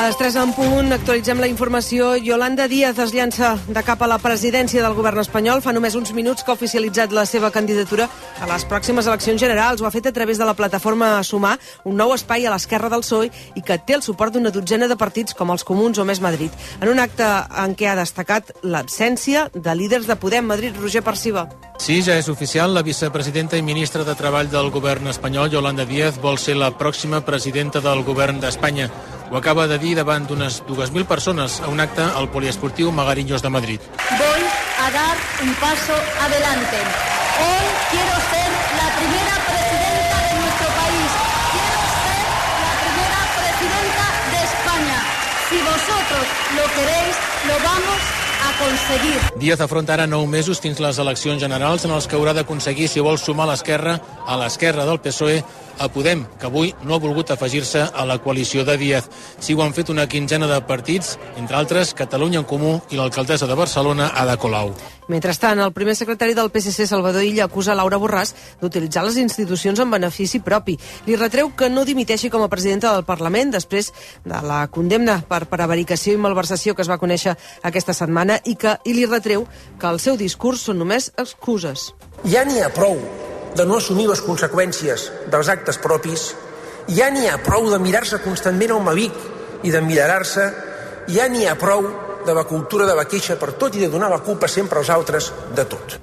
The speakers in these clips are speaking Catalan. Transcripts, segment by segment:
les 3 en punt, actualitzem la informació. Yolanda Díaz es llança de cap a la presidència del govern espanyol. Fa només uns minuts que ha oficialitzat la seva candidatura a les pròximes eleccions generals. Ho ha fet a través de la plataforma Sumar, un nou espai a l'esquerra del PSOE i que té el suport d'una dotzena de partits com els Comuns o Més Madrid. En un acte en què ha destacat l'absència de líders de Podem. Madrid, Roger Perciba. Sí, ja és oficial. La vicepresidenta i ministra de Treball del govern espanyol, Yolanda Díaz, vol ser la pròxima presidenta del govern d'Espanya. Ho acaba de dir davant d'unes 2.000 persones a un acte al poliesportiu Magariños de Madrid. Voy a dar un paso adelante. Hoy quiero ser la primera presidenta de nuestro país. Quiero ser la primera presidenta de España. Si vosotros lo queréis, lo vamos a conseguir. Díaz afronta ara 9 mesos fins les eleccions generals en els que haurà d'aconseguir, si vol sumar l'esquerra a l'esquerra del PSOE, a Podem, que avui no ha volgut afegir-se a la coalició de Díaz. Sí, ho han fet una quinzena de partits, entre altres Catalunya en Comú i l'alcaldessa de Barcelona, Ada Colau. Mentrestant, el primer secretari del PSC, Salvador Illa, acusa Laura Borràs d'utilitzar les institucions en benefici propi. Li retreu que no dimiteixi com a presidenta del Parlament després de la condemna per prevaricació i malversació que es va conèixer aquesta setmana i li retreu que el seu discurs són només excuses. Ja n'hi ha prou de no assumir les conseqüències dels actes propis, ja n'hi ha prou de mirar-se constantment al mavic i d'emmirallar-se, ja n'hi ha prou de la cultura de la queixa per tot i de donar la culpa sempre als altres de tot.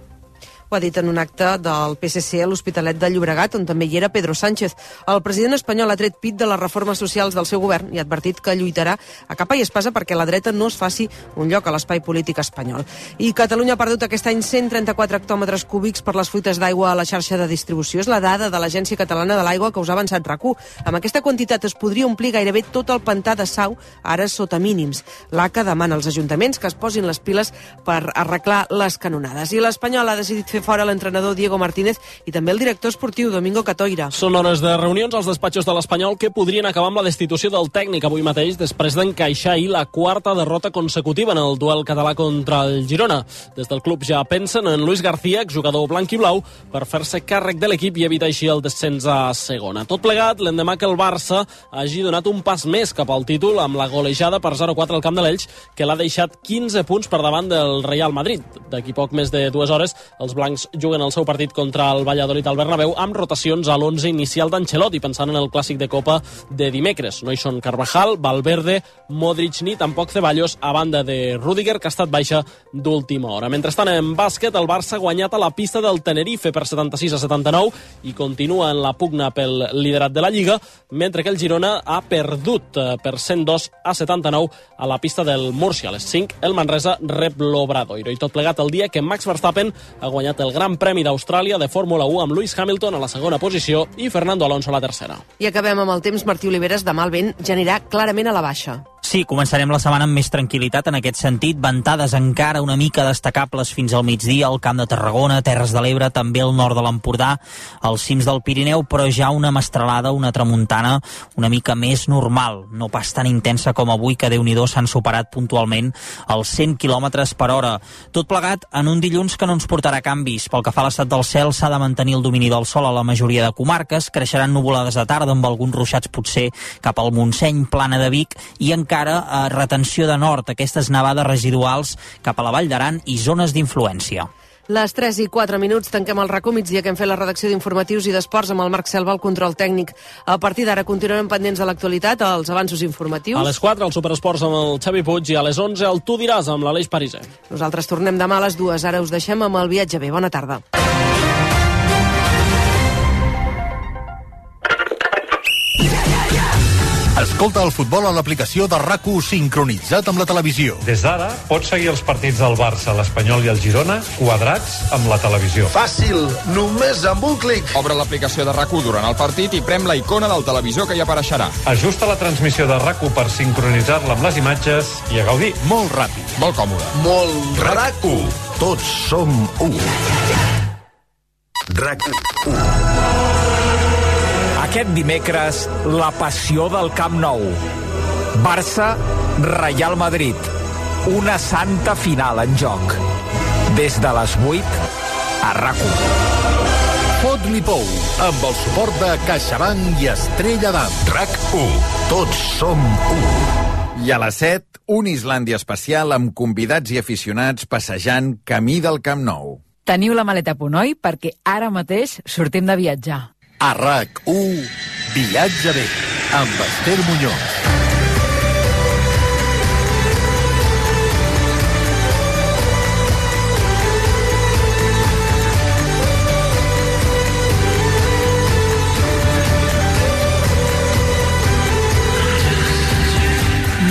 Ho ha dit en un acte del PSC a l'Hospitalet de Llobregat, on també hi era Pedro Sánchez. El president espanyol ha tret pit de les reformes socials del seu govern i ha advertit que lluitarà a capa i espasa perquè la dreta no es faci un lloc a l'espai polític espanyol. I Catalunya ha perdut aquest any 134 hectòmetres cúbics per les fuites d'aigua a la xarxa de distribució. És la dada de l'Agència Catalana de l'Aigua que us ha avançat RAC1. Amb aquesta quantitat es podria omplir gairebé tot el pantà de Sau, ara sota mínims. L'ACA demana als ajuntaments que es posin les piles per arreglar les canonades. I l'Espanyol ha decidit fer fora l'entrenador Diego Martínez i també el director esportiu Domingo Catoira. Són hores de reunions als despatxos de l'Espanyol que podrien acabar amb la destitució del tècnic avui mateix després d'encaixar ahir la quarta derrota consecutiva en el duel català contra el Girona. Des del club ja pensen en Luis García, exjugador blanc i blau, per fer-se càrrec de l'equip i evitar així el descens a segona. Tot plegat, l'endemà que el Barça hagi donat un pas més cap al títol amb la golejada per 0-4 al camp de l'Elx, que l'ha deixat 15 punts per davant del Real Madrid. D'aquí poc més de 2 hores, els blancs juguen el seu partit contra el Valladolid al Bernabéu amb rotacions a l'11 inicial d'Ancelotti, pensant en el clàssic de Copa de dimecres. No hi són Carvajal, Valverde, Modric ni tampoc Ceballos, a banda de Rüdiger, que ha estat baixa d'última hora. Mentrestant, en bàsquet, el Barça ha guanyat a la pista del Tenerife per 76-79 i continua en la pugna pel liderat de la Lliga, mentre que el Girona ha perdut per 102-79 a la pista del Múrcia. A les 5, el Manresa rep l'Obradoiro. I tot plegat el dia que Max Verstappen ha guanyat el Gran Premi d'Austràlia de Fórmula 1 amb Lewis Hamilton a la segona posició i Fernando Alonso a la tercera. I acabem amb el temps. Martí Oliveres, demà el vent ja anirà clarament a la baixa. Sí, començarem la setmana amb més tranquil·litat en aquest sentit. Ventades encara una mica destacables fins al migdia al Camp de Tarragona, Terres de l'Ebre, també al nord de l'Empordà, als cims del Pirineu, però ja una mestralada, una tramuntana una mica més normal, no pas tan intensa com avui, que Déu-n'hi-do s'han superat puntualment els 100 km per hora. Tot plegat en un dilluns que no ens portarà canvis. Pel que fa a l'estat del cel, s'ha de mantenir el domini del sol a la majoria de comarques, creixeran nuvolades de tarda amb alguns ruixats potser cap al Montseny, Plana de Vic, i encara retenció de nord, aquestes nevades residuals cap a la Vall d'Aran i zones d'influència. Les 3 i 4 minuts tanquem el RAC1 migdia que hem fet la redacció d'informatius i d'esports amb el Marc Selva, el control tècnic. A partir d'ara continuarem pendents de l'actualitat, els avanços informatius. A les 4 el Superesports amb el Xavi Puig i a les 11 el Tu diràs amb l'Aleix Pariser. Nosaltres tornem demà a les 2. Ara us deixem amb el viatge bé. Bona tarda. Escolta el futbol a l'aplicació de RAC1 sincronitzat amb la televisió. Des d'ara pots seguir els partits del Barça, l'Espanyol i el Girona quadrats amb la televisió. Fàcil, només amb un clic. Obre l'aplicació de RAC1 durant el partit i prem la icona del televisor que hi apareixerà. Ajusta la transmissió de RAC1 per sincronitzar-la amb les imatges i a gaudir. Molt ràpid. Molt còmode. Molt RAC1. Tots som u. RAC1. Aquest dimecres, la passió del Camp Nou. Barça, Real Madrid. Una santa final en joc. Des de les 8 a RAC1. Fot-li pou, amb el suport de CaixaBank i Estrella d'Am. RAC1. Tots som u. I a les 7, un Islàndia especial amb convidats i aficionats passejant camí del Camp Nou. Teniu la maleta a punt, oi? Perquè ara mateix sortim de viatjar. A RAC1, Viatge bé, amb Esther Muñoz.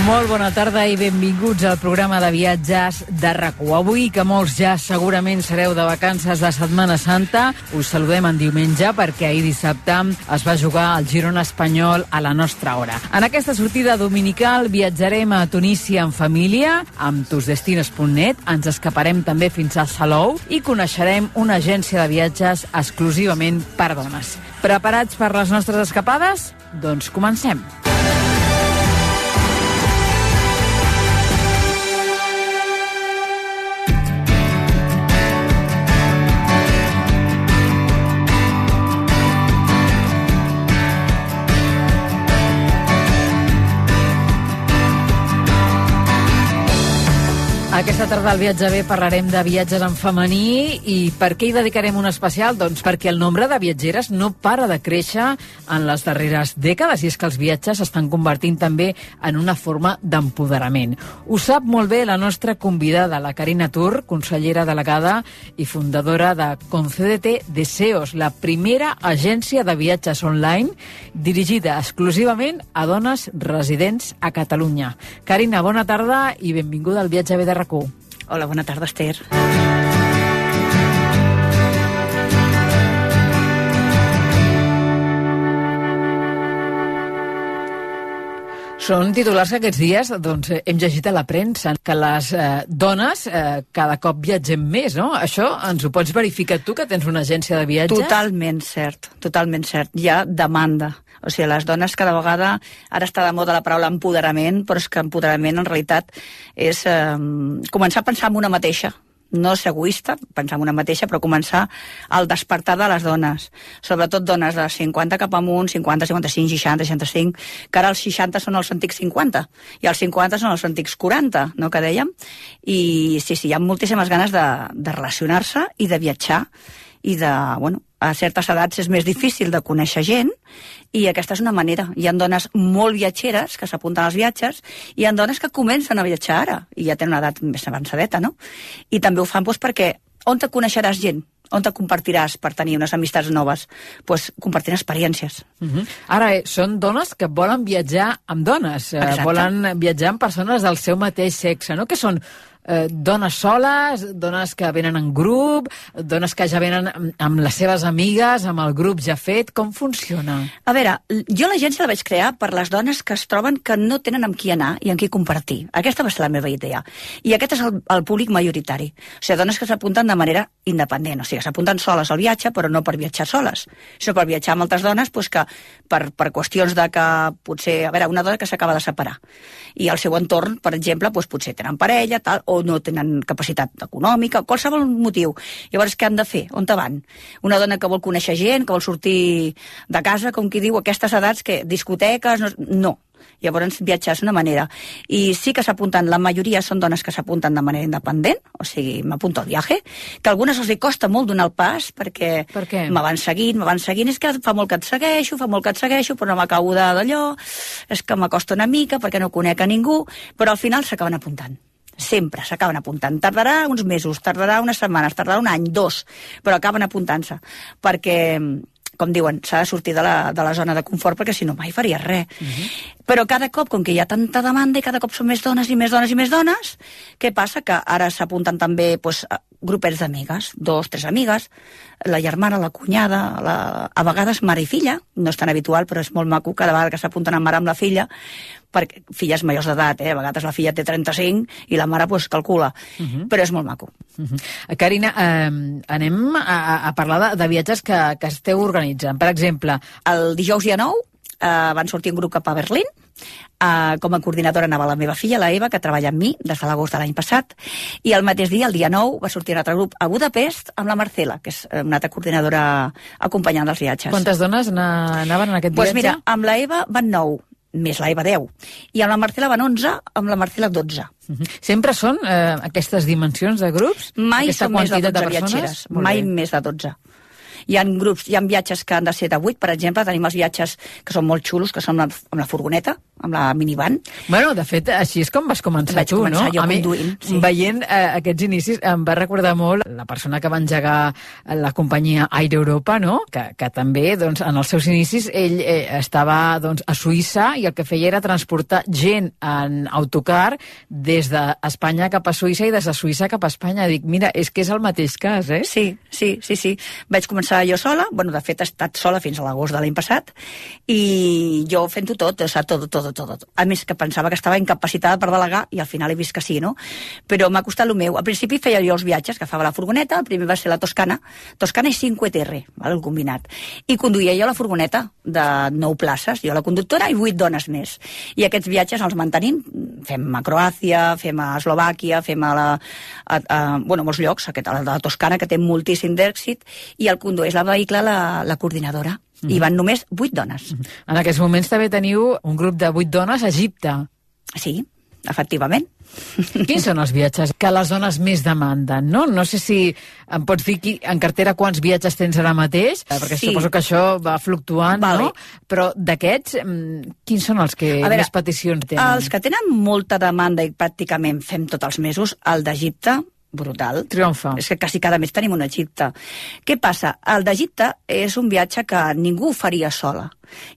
Molt bona tarda i benvinguts al programa de viatges de RAC1. Avui, que molts ja segurament sereu de vacances de Setmana Santa, us saludem en diumenge perquè ahir dissabte es va jugar el Girona Espanyol a la nostra hora. En aquesta sortida dominical viatjarem a Tunísia en família, amb tusdestinos.net, ens escaparem també fins a Salou i coneixerem una agència de viatges exclusivament per dones. Preparats per les nostres escapades? Doncs comencem. Aquesta tarda al Viatge Bé parlarem de viatges en femení i per què hi dedicarem un especial? Doncs perquè el nombre de viatgeres no para de créixer en les darreres dècades i és que els viatges s'estan convertint també en una forma d'empoderament. Ho sap molt bé la nostra convidada, la Carina Tur, consellera delegada i fundadora de Concédete Deseos, la primera agència de viatges online dirigida exclusivament a dones residents a Catalunya. Carina, bona tarda i benvinguda al Viatge Bé de RAC1. Hola, bona tarda, Esther. Són titulars que aquests dies hem llegit a la premsa, que les dones cada cop viatgem més, no? Això ens ho pots verificar tu, que tens una agència de viatges? Totalment cert, totalment cert. Hi ha demanda. O sigui, les dones cada vegada, ara està de moda la paraula empoderament, però és que empoderament en realitat és començar a pensar en una mateixa. No ser egoista, pensar en una mateixa, però començar al despertar de les dones. Sobretot dones de 50 cap amunt, 50, 55, 60, 65, que ara els 60 són els antics 50, i els 50 són els antics 40, no?, que dèiem. I sí, hi ha moltíssimes ganes de relacionar-se i de viatjar, i a certes edats és més difícil de conèixer gent, i aquesta és una manera. Hi ha dones molt viatgeres que s'apunten als viatges, i hi ha dones que comencen a viatjar ara, i ja tenen una edat més avançadeta, no? I també ho fan perquè on te coneixeràs gent? On te compartiràs per tenir unes amistats noves? Doncs compartint experiències. Ara, són dones que volen viatjar amb dones, volen viatjar amb persones del seu mateix sexe, no? Que són dones soles, dones que venen en grup, dones que ja venen amb les seves amigues, amb el grup ja fet. Com funciona? A veure, jo l'agència la vaig crear per les dones que es troben que no tenen amb qui anar i amb qui compartir. Aquesta va ser la meva idea. I aquest és el públic majoritari. O sigui, dones que s'apunten de manera independent. O sigui, s'apunten soles al viatge, però no per viatjar soles, sinó per viatjar amb altres dones, doncs que per qüestions de que potser... A veure, una dona que s'acaba de separar i el seu entorn, per exemple, doncs potser tenen parella, tal, o no tenen capacitat econòmica, qualsevol motiu. Llavors, què han de fer? On te van? Una dona que vol conèixer gent, que vol sortir de casa, com qui diu, aquestes edats, que discoteques... No. Llavors, viatjar és una manera. I sí que s'apunten, la majoria són dones que s'apunten de manera independent, o sigui, m'apunto al viatge, que a algunes els costa molt donar el pas, perquè me van seguint, és que fa molt que et segueixo, però no m'acabo d'allò, és que m'acosta una mica, perquè no conec a ningú, però al final s'acaben apuntant. Sempre s'acaben apuntant. Tardarà uns mesos, tardarà unes setmanes, tardarà un any, 2, però acaben apuntant-se, perquè, com diuen, s'ha de sortir de la zona de confort, perquè si no mai faries res. Però cada cop, com que hi ha tanta demanda i cada cop són més dones i més dones i més dones, què passa? Que ara s'apunten també grupets d'amigues, 2, 3 amigues, la germana, la cunyada, a vegades mare i filla, no és tan habitual, però és molt maco cada vegada que s'apunten a mare amb la filla, perquè filles majors d'edat, a vegades la filla té 35 i la mare calcula, però és molt maco. Carina, anem a parlar de viatges que esteu organitzant. Per exemple, el dijous dia 9 van sortir un grup cap a Berlín. Com a coordinadora anava la meva filla, la Eva, que treballa amb mi des de l'agost de l'any passat, i el mateix dia, el dia 9, va sortir un altre grup a Budapest amb la Marcela, que és una altra coordinadora acompanyant dels viatges. Quantes dones anaven en aquest viatge? Doncs mira, amb la Eva van 9, més la Eva 10. I amb la Marcela van 11, amb la Marcela 12. Sempre són aquestes dimensions de grups? Mai aquesta són més de 12 persones? viatgeres, mai més de 12. Hi ha grups, hi ha viatges que han de ser de 8, per exemple, tenim els viatges que són molt xulos, que són amb la furgoneta, amb la minivan. Bueno, de fet, així és com vas començar Vaig tu, començar no? jo conduint, sí. Veient aquests inicis, em va recordar molt la persona que va engegar la companyia Air Europa, no? Que també, doncs, en els seus inicis, ell estava doncs, a Suïssa i el que feia era transportar gent en autocar des d'Espanya cap a Suïssa i des de Suïssa cap a Espanya. Dic, mira, és que és el mateix cas, eh? Sí. Vaig començar jo sola, bueno, de fet he estat sola fins a l'agost de l'any passat, i jo fent-ho tot, o sigui, tot. A més que pensava que estava incapacitada per delegar, i al final he vist que sí, no? Però m'ha costat el meu. Al principi feia jo els viatges, que agafava la furgoneta, el primer va ser la Toscana i 5 ETR, el combinat. I conduïa jo la furgoneta de 9 places, jo la conductora i 8 dones més. I aquests viatges els mantenim, fem a Croàcia, fem a Eslovàquia, fem a molts llocs, a la Toscana, que té moltíssim d'èxit, i el condueix la vehicle la coordinadora. I van només 8 dones. En aquests moments també teniu un grup de 8 dones a Egipte. Sí, efectivament. Quins són els viatges que les dones més demanden, no? No sé si em pots dir en cartera quants viatges tens ara mateix, perquè suposo que això va fluctuant, no? Però d'aquests, quins són els que més peticions tenen? Els que tenen molta demanda i pràcticament fem tots els mesos, el d'Egipte, brutal. Triomfa. És que quasi cada mes tenim un Egipte. Què passa? El d'Egipte és un viatge que ningú faria sola.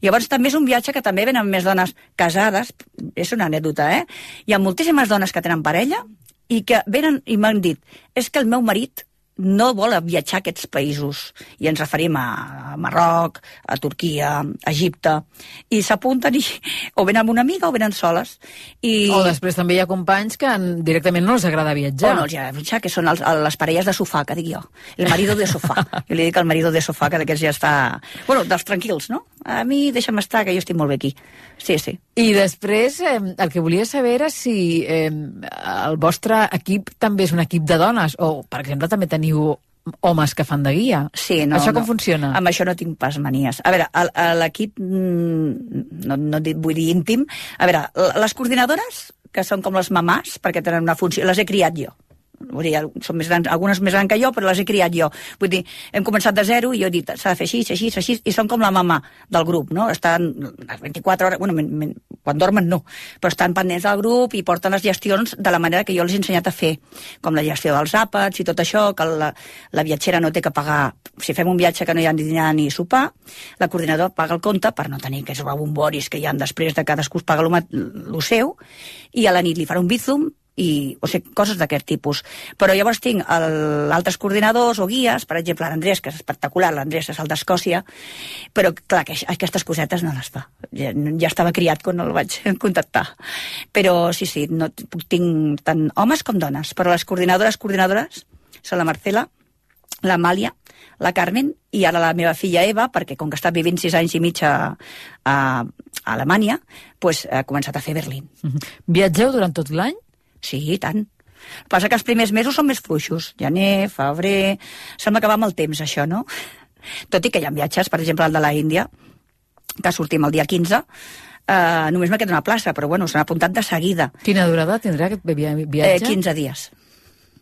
Llavors també és un viatge que també venen més dones casades, és una anècdota, Hi ha moltíssimes dones que tenen parella i que venen i m'han dit, és que el meu marit no vol viatjar a aquests països. I ens referim a Marroc, a Turquia, a Egipte, i s'apunten o venen amb una amiga o venen soles. O després també hi ha companys que directament no els agrada viatjar. No els agrada viatjar, que són les parelles de sofà, que dic jo. El marido de sofà. Jo li dic el marido de sofà, que d'aquests ja està... Bueno, dels tranquils, no? A mi deixa'm estar, que jo estic molt bé aquí. Sí. I després, el que volia saber era si el vostre equip també és un equip de dones, o, per exemple, també teniu homes que fan de guia. Sí, no. Això com funciona? Amb això no tinc pas manies. A veure, l'equip, no vull dir íntim, a veure, les coordinadores, que són com les mamàs, perquè tenen una funció, les he criat jo. Vull dir, són més grans, algunes més grans que jo, però les he criat jo. Vull dir, hem començat de zero i jo he dit, s'ha de fer així, i són com la mama del grup, no? Estan 24 hores, bueno, quan dormen no, però estan pendents del grup i porten les gestions de la manera que jo els he ensenyat a fer, com la gestió dels àpats i tot això, que la viatgera no té que pagar, si fem un viatge que no hi ha ni dinar ni sopar, la coordinadora paga el compte per no tenir aquests rebomboris que hi ha després de cadascú es paga el seu, i a la nit li farà un bízum, o sigui, coses d'aquest tipus. Però llavors tinc altres coordinadors o guies, per exemple, l'Andrés, que és espectacular, l'Andrés és el d'Escòcia, però, clar, que aquestes cosetes no les fa. Ja estava criat quan el vaig contactar. Però, sí, no, tinc tant homes com dones, però les coordinadores són la Marcela, l'Amàlia, la Carmen i ara la meva filla Eva, perquè com que està vivint 6 anys i mig a Alemanya, doncs ha començat a fer Berlín. Viatgeu durant tot l'any? Sí, i tant. El que passa que els primers mesos són més fluixos. Gener, febrer... Sembla que va amb el temps, això, no? Tot i que hi ha viatges, per exemple, el de la Índia, que sortim el dia 15, només m'ha quedat una plaça, però bueno, s'han apuntat de seguida. Quina durada tindrà aquest viatge? 15 dies.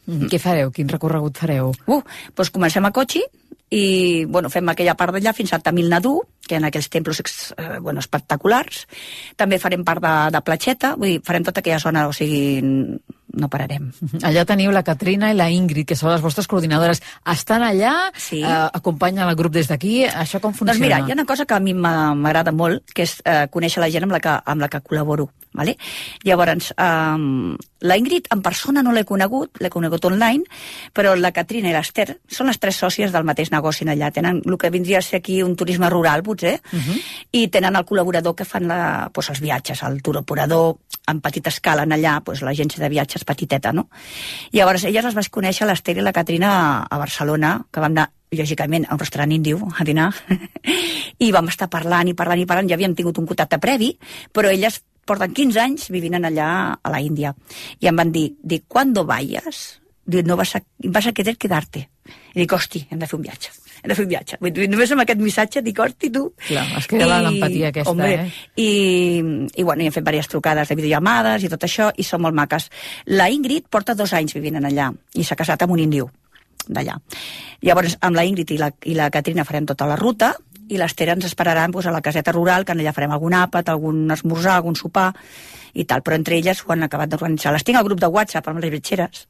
Què fareu? Quin recorregut fareu? Doncs comencem a Cochin i bueno, fem aquella part d'allà fins a Tamil Nadu, que en aquells templos espectaculars. També farem part de Platxeta, vull dir, farem tota aquella zona, o sigui, no pararem. Allà teniu la Katrina i la Ingrid, que són les vostres coordinadores. Estan allà? Sí. Acompanyen el grup des d'aquí? Això com funciona? Doncs mira, hi ha una cosa que a mi m'agrada molt, que és conèixer la gent amb la que col·laboro. Vale? Llavors, la Ingrid en persona no l'he conegut online, però la Katrina i l'Ester són les 3 sòcies del mateix negoci allà. Tenen el que vindria a ser aquí un turisme rural, potser, i tenen el col·laborador que fan els viatges, el tour operador en petita escala allà, l'agència de viatges petiteta, no? Llavors, elles les vaig conèixer, l'Ester i la Katrina, a Barcelona, que vam anar lògicament a un restaurant índio a dinar, i vam estar parlant, ja havíem tingut un contacte previ, però elles porten 15 anys vivint allà a la Índia. I em van dir, ¿cuándo vayas? No vas a querer quedarte. I dic, hosti, hem de fer un viatge. de fer un viatge. Vull dir, només amb aquest missatge dic, hosti, tu. Clar, es crea l'empatia aquesta, home, I bueno, hi hem fet diverses trucades de videollamades i tot això, i són molt maques. La Ingrid porta 2 anys vivint allà, i s'ha casat amb un índio d'allà. Llavors, amb la Ingrid i la Caterina farem tota la ruta, i l'Esther ens esperaran a la caseta rural, que allà farem algun àpat, algun esmorzar, algun sopar, i tal, però entre elles ho han acabat d'organitzar. Les tinc al grup de WhatsApp amb les viatgeres,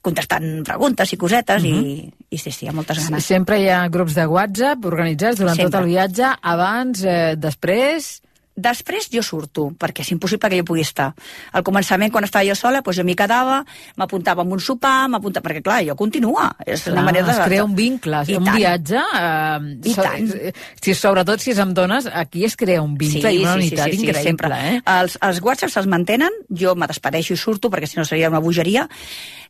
contestant preguntes i cosetes, i sí, hi ha moltes ganes. Sempre hi ha grups de WhatsApp organitzats durant tot el viatge, abans, després... Després jo surto, perquè és impossible que jo pugui estar. Al començament, quan estava jo sola, doncs jo m'hi quedava, m'apuntava amb un sopar, perquè clar, jo continua. És una manera es crea un vincle, un viatge... I tant. Sobretot si és amb dones, aquí es crea un vincle i una unitat increïble. Sempre. Els WhatsApps es mantenen, jo me despedeixo i surto, perquè si no seria una bogeria,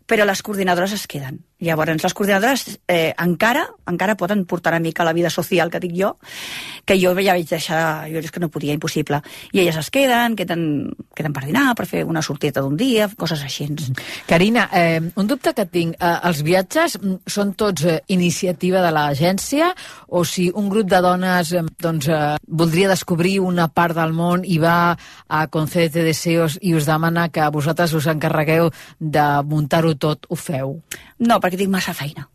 però les coordinadores es queden. Llavors, les coordinadores encara poden portar una mica la vida social que dic jo, que jo ja vaig deixar, jo és que no podia, impossible. I elles es queden per dinar, per fer una sortida d'un dia, coses així. Carina, un dubte que tinc, els viatges són tots iniciativa de l'agència, o si un grup de dones voldria descobrir una part del món i va a Concédete Deseos i us demana que vosaltres us encarregueu de muntar-ho tot, ho feu? No, perquè tinc massa feina.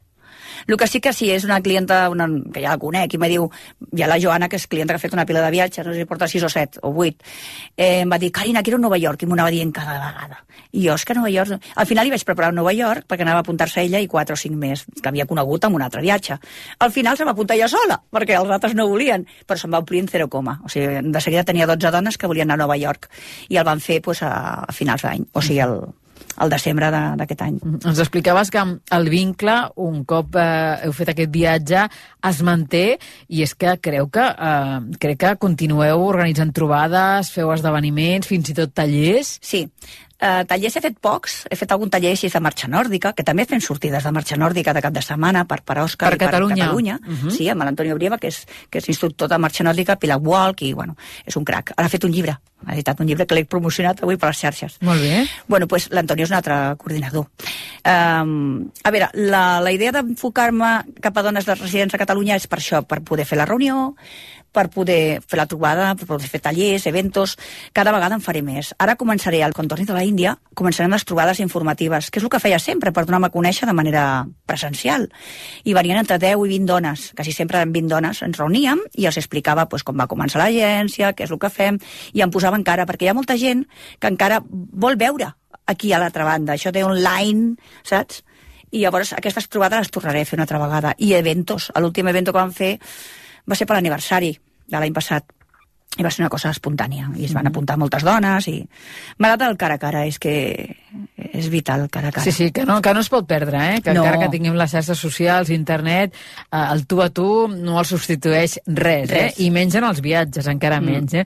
El que sí que és una clienta, que ja la conec, i me diu, hi ha la Joana, que és clienta que ha fet una pila de viatges, no sé si porta 6 o 7 o 8, em va dir, Carina, quiero Nova York, i m'ho anava dient cada vegada. I jo, és que Nova York... Al final li vaig preparar Nova York, perquè anava a apuntar-se ella i 4 o 5 més, que havia conegut amb un altre viatge. Al final se va apuntar ella sola, perquè els altres no volien, però se'n va omplir en 0, o sigui, de seguida tenia 12 dones que volien anar a Nova York, i el van fer a finals d'any, o sigui, al desembre d'aquest any. Ens explicaves que el vincle, un cop heu fet aquest viatge, es manté, i és que crec que continueu organitzant trobades, feu esdeveniments, fins i tot tallers. Sí, tallers he fet pocs, he fet algun taller així de marxa nòrdica, que també fem sortides de marxa nòrdica de cap de setmana per Òscar i per Catalunya. Sí, amb l'Antonio Brieva, que és instructor de marxa nòrdica, Pilac Walk, i bueno, és un crac. Ara ha fet un llibre, ha editat un llibre que l'he promocionat avui per les xarxes. Molt bé. Bueno, doncs l'Antonio és un altre coordinador. A veure, la idea d'enfocar-me cap a dones de residents a Catalunya és per això, per poder fer la reunió, per poder fer la trobada, per poder fer tallers, eventos, cada vegada en faré més. Ara començaré, quan torni de la Índia, començarem les trobades informatives, que és el que feia sempre, per donar-me a conèixer de manera presencial. I venien entre 10 i 20 dones, quasi sempre eren 20 dones, ens reuníem i els explicava com va començar l'agència, què és el que fem, i em posava encara, perquè hi ha molta gent que encara vol veure aquí a l'altra banda, això de online, saps? I llavors aquestes trobades les tornaré a fer una altra vegada. I eventos, l'últim evento que vam fer va ser per l'aniversari de l'any passat, i va ser una cosa espontània, i es van apuntar moltes dones, i m'agrada el cara a cara, és que és vital el cara a cara. Sí, que no es pot perdre, que encara que tinguem les xarxes socials, internet, el tu a tu no el substitueix res. I menys en els viatges, encara menys.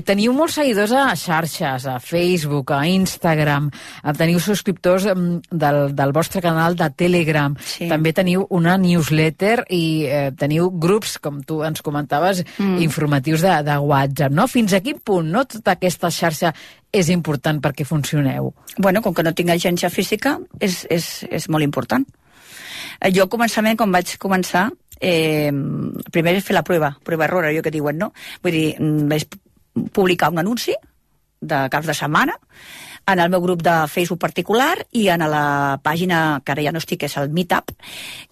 Teniu molts seguidors a xarxes, a Facebook, a Instagram, teniu subscriptors del vostre canal de Telegram, també teniu una newsletter i teniu grups, com tu ens comentaves, informatius de WhatsApp, no? Fins a quin punt, no, tota aquesta xarxa és important perquè funcioneu? Bueno, com que no tinc agència física, és molt important. Jo al començament, quan vaig començar, primer és fer la prova error, allò que diuen, no? Vull dir, vaig publicar un anunci de caps de setmana en el meu grup de Facebook particular i en la pàgina que ara ja no estic, que és el Meetup,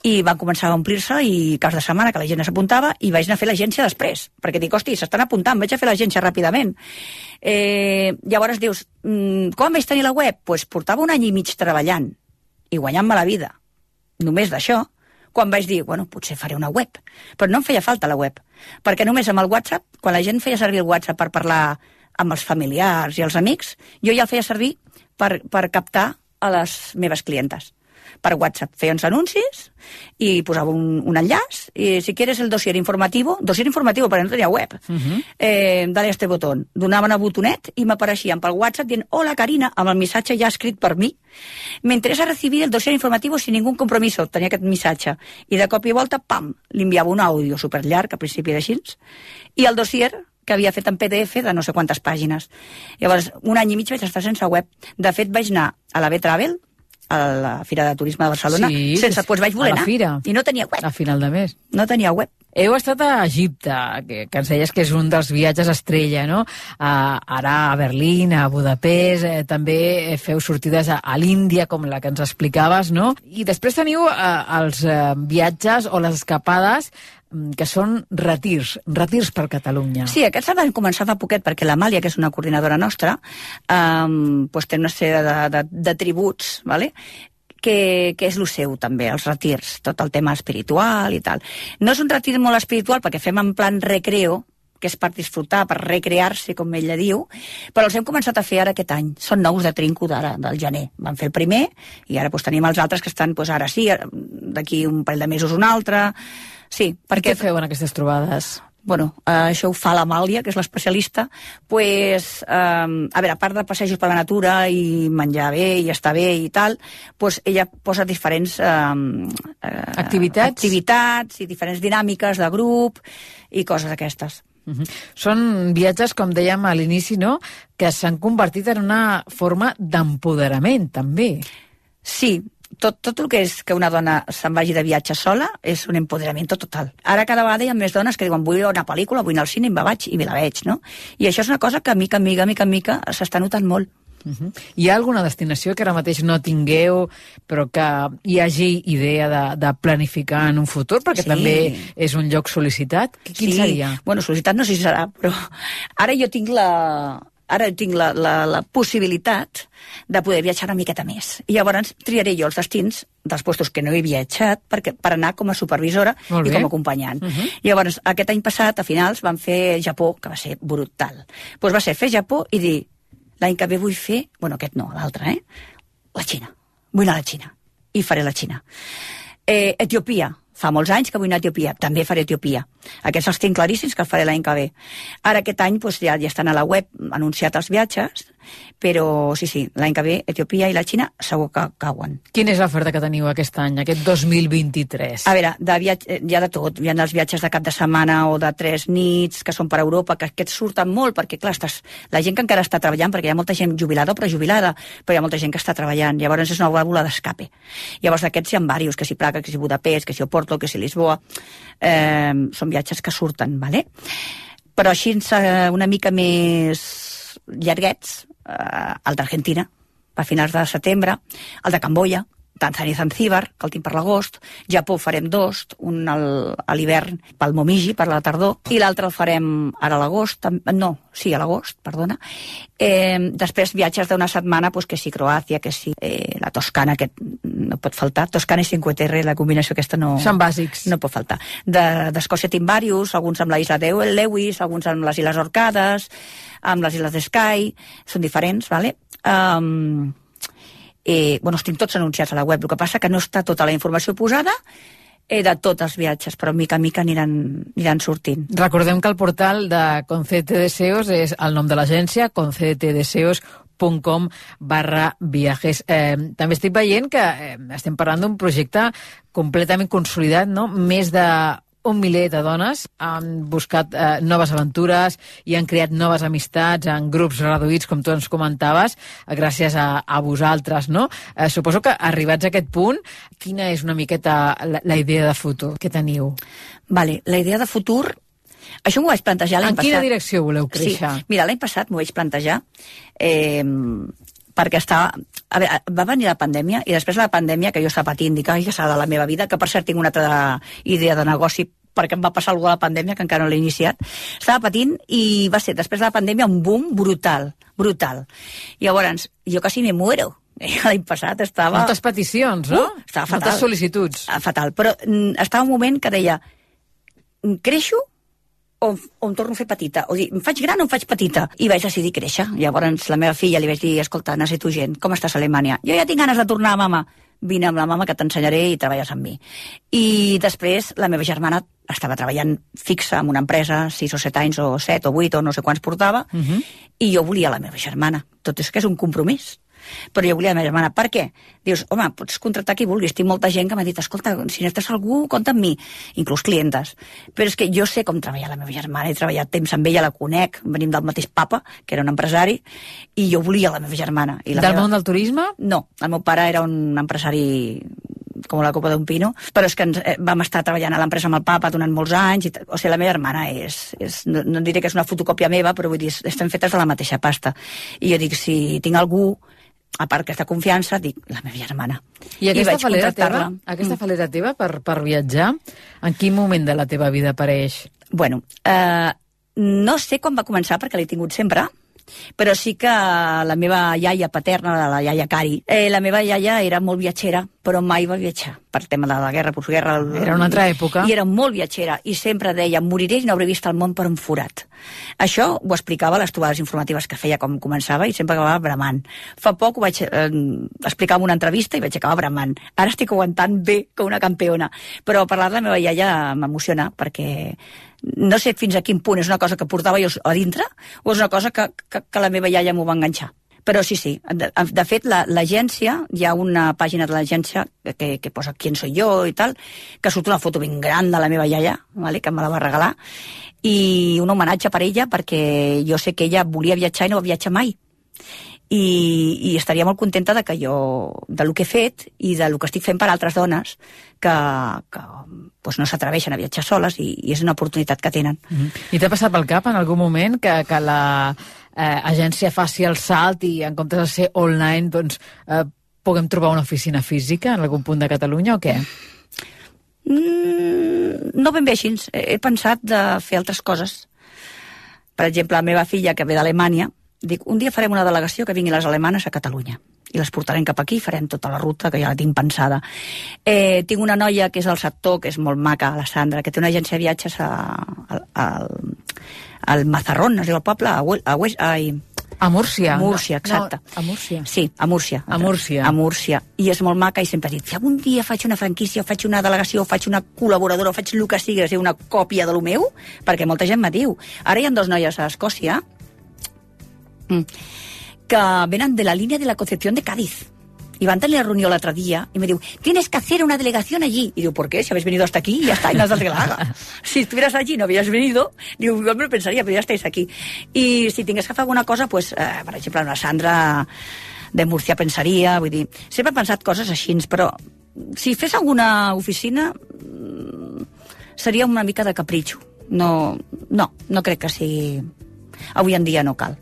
i van començar a omplir-se i caps de setmana que la gent s'apuntava i vaig anar a fer l'agència després, perquè dic, hosti, s'estan apuntant, vaig a fer l'agència ràpidament. Llavors dius, com vaig tenir la web? Doncs portava 1 any i mig treballant i guanyant-me la vida, només d'això, quan vaig dir, bueno, potser faré una web. Però no em feia falta la web, perquè només amb el WhatsApp, quan la gent feia servir el WhatsApp per parlar amb els familiars i els amics, jo ja el feia servir per captar a les meves clientes. Per WhatsApp feia uns anuncis i posava un enllaç, i si quieres el dossier informativo perquè no tenia web, dale a este botón, donaven el botonet i m'apareixien pel WhatsApp dient, hola Carina, amb el missatge ja escrit per mi, me interesa recibir el dossier informativo sin ningún compromiso, tenia aquest missatge, i de cop i volta, pam, li enviava un àudio superllarg, al principi era així, i el dossier que havia fet en PDF de no sé quantes pàgines. Llavors, 1 any i mig vaig estar sense web. De fet, vaig anar a la B-Travel, a la Fira de Turisme de Barcelona, sense, doncs vaig voler anar. I no tenia web. A final de mes. No tenia web. Heu estat a Egipte, que ens deies que és un dels viatges estrella, no? Ara a Berlín, a Budapest, també feu sortides a l'Índia, com la que ens explicaves, no? I després teniu els viatges o les escapades que són retirs per Catalunya. Sí, aquests van començar fa poquet, perquè l'Amàlia, que és una coordinadora nostra, té una sèrie de tributs, ¿vale? que és el seu també, els retirs, tot el tema espiritual i tal. No és un retir molt espiritual perquè fem en plan recreo, que és per disfrutar, per recrear-se, com ella diu, però els hem començat a fer ara aquest any. Són nous de trinco d'ara, del gener. Vam fer el primer i ara tenim els altres que estan ara sí, d'aquí un parell de mesos un altre. Sí, perquè... Què feu en aquestes trobades? Bueno, això ho fa l'Amàlia, que és l'especialista, a veure, a part de passejos per la natura i menjar bé i estar bé i tal, ella posa diferents activitats i diferents dinàmiques de grup i coses aquestes. Són viatges, com dèiem a l'inici, no?, que s'han convertit en una forma d'empoderament, també. Sí, tot el que és que una dona se'n vagi de viatge sola és un empoderament total. Ara cada vegada hi ha més dones que diuen vull anar a pel·lícula, vull anar al cine, i me vaig i me la veig, no? I això és una cosa que mica en mica s'està notant molt. Hi ha alguna destinació que ara mateix no tingueu, però que hi hagi idea de planificar en un futur, perquè també és un lloc sol·licitat? Quin seria? Bueno, sol·licitat no sé si serà, però ara jo tinc la possibilitat de poder viatjar una miqueta més. I llavors triaré jo els destins dels puestos que no he viatjat per anar com a supervisora i com a acompanyant. Llavors, aquest any passat, a finals, vam fer Japó, que va ser brutal. Doncs va ser fer Japó i dir, l'any que ve vull fer... Bueno, aquest no, l'altre, la Xina. Vull anar a la Xina. I faré la Xina. Etiòpia. Fa molts anys que vull anar a Etiòpia. També faré Etiòpia. Aquests els tinc claríssims que els faré l'any que ve. Ara aquest any ja estan a la web anunciats els viatges, però sí, l'any que ve Etiòpia i la Xina segur que cauen. Quina és l'oferta que teniu aquest any, aquest 2023? A veure, hi ha de tot. Hi ha els viatges de cap de setmana o de 3 nits que són per Europa, que aquests surten molt perquè, clar, la gent que encara està treballant, perquè hi ha molta gent jubilada o prejubilada, però hi ha molta gent que està treballant. Llavors és una vàlvula d'escape. Llavors d'aquests hi ha diversos, que si Praga, que si Budapest, que si Oporto, que si Lisboa. Són viatges que surten, ¿vale? Però així una mica més llarguets, el d'Argentina, a finals de setembre, el de Camboya, Tanzània i Zanzíbar, que el tinc per l'agost, Japó farem 2, un a l'hivern pel Momiji, per la tardor, i l'altre el farem ara a l'agost, a l'agost, perdona. Després viatges d'una setmana, que sí, Croàcia, que sí, la Toscana, que no pot faltar, Toscana i Cinque Terre, la combinació aquesta no... Són bàsics. No pot faltar. D'Escòcia tinc diversos, alguns amb la isla de Lewis, alguns amb les Illes Orcades, amb les Illes de Skye, són diferents, ¿vale? Els tinc tots anunciats a la web, el que passa que no està tota la informació posada de tots els viatges, però mica en mica aniran sortint. Recordem que el portal de Concédete Deseos és el nom de l'agència, concédetedeseos.com/viajes. També estic veient que estem parlant d'un projecte completament consolidat, no? Més de 1 miler de dones han buscat noves aventures i han creat noves amistats en grups reduïts, com tu ens comentaves, gràcies a vosaltres, no? Suposo que arribats a aquest punt, quina és una miqueta la idea de futur que teniu? Vale, la idea de futur, això m'ho vaig plantejar l'any passat. En quina direcció voleu créixer? Sí, mira, l'any passat m'ho vaig plantejar perquè va venir la pandèmia i després de la pandèmia, que jo estava patint, dic, ai, que serà de la meva vida, que per cert tinc una altra idea de negoci perquè em va passar alguna de la pandèmia, que encara no l'he iniciat. Estava patint i va ser, després de la pandèmia, un boom brutal. Llavors, jo quasi me muero. L'any passat estava... Moltes peticions, no? Estava fatal. Moltes sol·licituds. Fatal, però estava un moment que deia, creixo o em torno a fer petita? O dir, em faig gran o em faig petita? I vaig decidir créixer. Llavors la meva filla li vaig dir, escolta, necessito gent, com estàs a Alemanya? Jo ja tinc ganes de tornar, mama. Vine amb la mama que t'ensenyaré i treballes amb mi. I després la meva germana estava treballant fixa en una empresa, 6 o 7 anys o 7 o 8 o no sé quants portava, i jo volia la meva germana. Tot és que és un compromís. Però jo volia la meva germana. Per què? Dius, home, pots contractar qui vulguis. Tinc molta gent que m'ha dit, escolta, si necessites algú, compta amb mi, inclús clientes. Però és que jo sé com treballar la meva germana, he treballat temps amb ella, la conec, venim del mateix papa, que era un empresari, i jo volia la meva germana. Del món del turisme? No, el meu pare era un empresari com la copa d'un pino, però és que vam estar treballant a l'empresa amb el papa durant molts anys, o sigui, la meva germana no diré que és una fotocòpia meva, però vull dir, estem fetes de la mateixa pasta. I jo dic, si tinc algú, a part aquesta confiança, dic, la meva germana. I aquesta falera teva per viatjar, en quin moment de la teva vida apareix? Bueno, no sé quan va començar, perquè l'he tingut sempre, però sí que la meva iaia paterna, la iaia Cari, la meva iaia era molt viatgera, però mai va viatjar per tema de la guerra, postguerra. Era una altra època. I era molt viatgera, i sempre deia, moriré i no hauré vist el món per un forat. Això ho explicava a les trobades informatives que feia com començava i sempre acabava bramant. Fa poc ho vaig explicar en una entrevista i vaig acabar bramant. Ara estic aguantant bé com una campiona. Però parlar de la meva iaia m'emociona, perquè no sé fins a quin punt és una cosa que portava jo a dintre o és una cosa que la meva iaia m'ho va enganxar. Però sí. De fet, l'agència, hi ha una pàgina de l'agència que posa quién soy yo i tal, que surt una foto ben gran de la meva iaia, vale, que me la va regalar, i un homenatge per ella, perquè jo sé que ella volia viatjar i no va viatjar mai. I estaria molt contenta de que jo, de lo que he fet i de lo que estic fent per altres dones que doncs no s'atreveixen a viatjar soles i és una oportunitat que tenen. I t'ha passat pel cap en algun moment que la agència faci el salt i en comptes de ser online doncs puguem trobar una oficina física en algun punt de Catalunya o què? No ben bé així. He pensat de fer altres coses. Per exemple, la meva filla, que ve d'Alemanya, dic, un dia farem una delegació que vinguin les alemanes a Catalunya i les portarem cap aquí, farem tota la ruta que ja la tinc pensada. Tinc una noia que és del sector, que és molt maca, la Sandra, que té una agència de viatges al Mazarrón, es diu el poble, a Múrcia. Múrcia, exacte. No, a Múrcia. Sí, a Múrcia. A Múrcia. A Múrcia. I és molt maca i sempre ha dit, si algun dia faig una franquícia, o faig una delegació, o faig una col·laboradora, o faig el que sigui, una còpia de lo meu, perquè molta gent me diu. Ara hi ha 2 noies a Escòcia que venen de la línia de la Concepción de Cádiz. Y van a tener la reunión el otro día y me digo, tienes que hacer una delegación allí. Y digo, ¿por qué? Si habéis venido hasta aquí, ya está, y no hace que la haga. Si estuvieras allí y no habías venido, digo, igual me lo pensaría, pero ya estáis aquí. Y si tingués que fer alguna cosa, pues, per exemple, una Sandra de Múrcia pensaria, vull dir, sempre he pensat coses així, però si fes alguna oficina seria una mica de capritxo. No crec que sigui... Avui en dia no cal.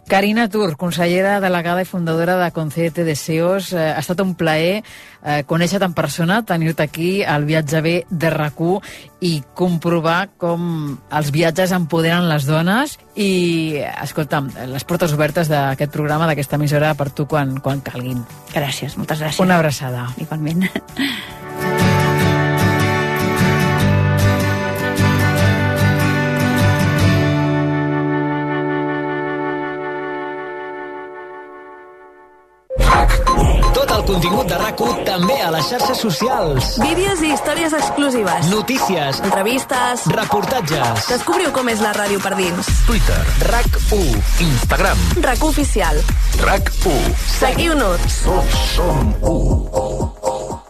Carina Tur, consellera delegada i fundadora de Concédete Deseos, ha estat un plaer conèixer-te en persona, tenir-te aquí al Viatge B de RAC1 i comprovar com els viatges empoderen les dones i, escolta'm, les portes obertes d'aquest programa, d'aquesta emissora, per tu quan calguin. Gràcies, moltes gràcies. Una abraçada. Igualment. Tot el contingut de RAC1 també a les xarxes socials. Vídeos i històries exclusives. Notícies. Entrevistes. Reportatges. Descobriu com és la ràdio per dins. Twitter. RAC1. Instagram. RAC1 Oficial. RAC1. Seguiu-nos. Som 1.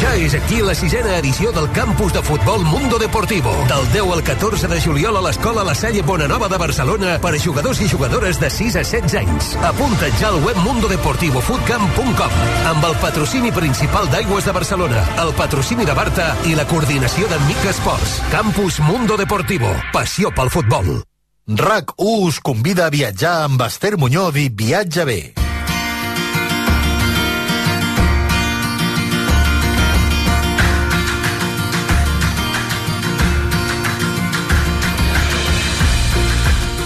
Ja és aquí la 6ª edició del Campus de Futbol Mundo Deportivo. Del 10 al 14 de juliol a l'Escola La Salle Bonanova de Barcelona per a jugadors i jugadores de 6 a 16 anys. Apunta't ja al web mundodeportivofootcamp.com amb el patrocini principal d'Aigües de Barcelona, el patrocini de Barta i la coordinació de Mica Esports. Campus Mundo Deportivo. Passió pel futbol. RAC1 us convida a viatjar amb Esther Muñoz i Viatge B.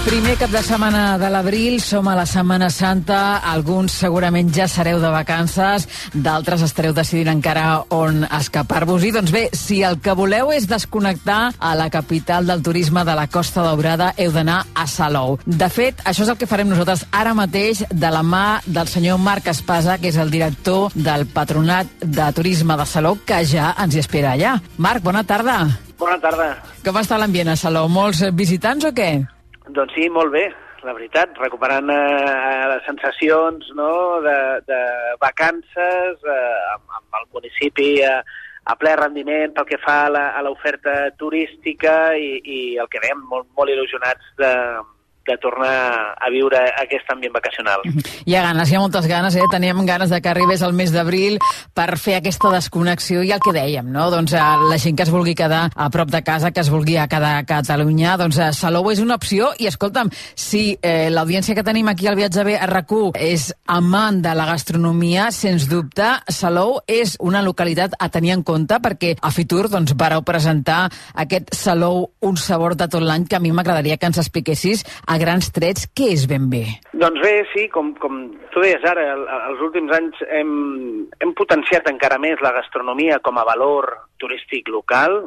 Primer cap de setmana de l'abril, som a la Setmana Santa, alguns segurament ja sereu de vacances, d'altres estareu decidint encara on escapar-vos-hi. Doncs bé, si el que voleu és desconnectar a la capital del turisme de la Costa Daurada, heu d'anar a Salou. De fet, això és el que farem nosaltres ara mateix de la mà del senyor Marc Espasa, que és el director del Patronat de Turisme de Salou, que ja ens hi espera allà. Marc, bona tarda. Bona tarda. Com està l'ambient a Salou? Molts visitants o què? Doncs sí, molt bé. la veritat, recuperant les sensacions, no?, de vacances amb el municipi a ple rendiment pel que fa a l'oferta turística i el que dèiem, molt il·lusionats de tornar a viure aquest ambient vacacional. Hi ha ganes, hi ha moltes ganes, teníem ganes de que arribés el mes d'abril per fer aquesta desconnexió i el que dèiem, no? Doncs la gent que es vulgui quedar a prop de casa, que es vulgui quedar a Catalunya, doncs Salou és una opció i escolta'm, si l'audiència que tenim aquí al Viatge B a RAC1 és amant de la gastronomia, sens dubte Salou és una localitat a tenir en compte perquè a Fitur doncs vareu presentar aquest Salou, un sabor de tot l'any, que a mi m'agradaria que ens expliquessis a grans trets què és ben bé. Doncs bé, sí, com tu deies ara, els últims anys hem potenciat encara més la gastronomia com a valor turístic local.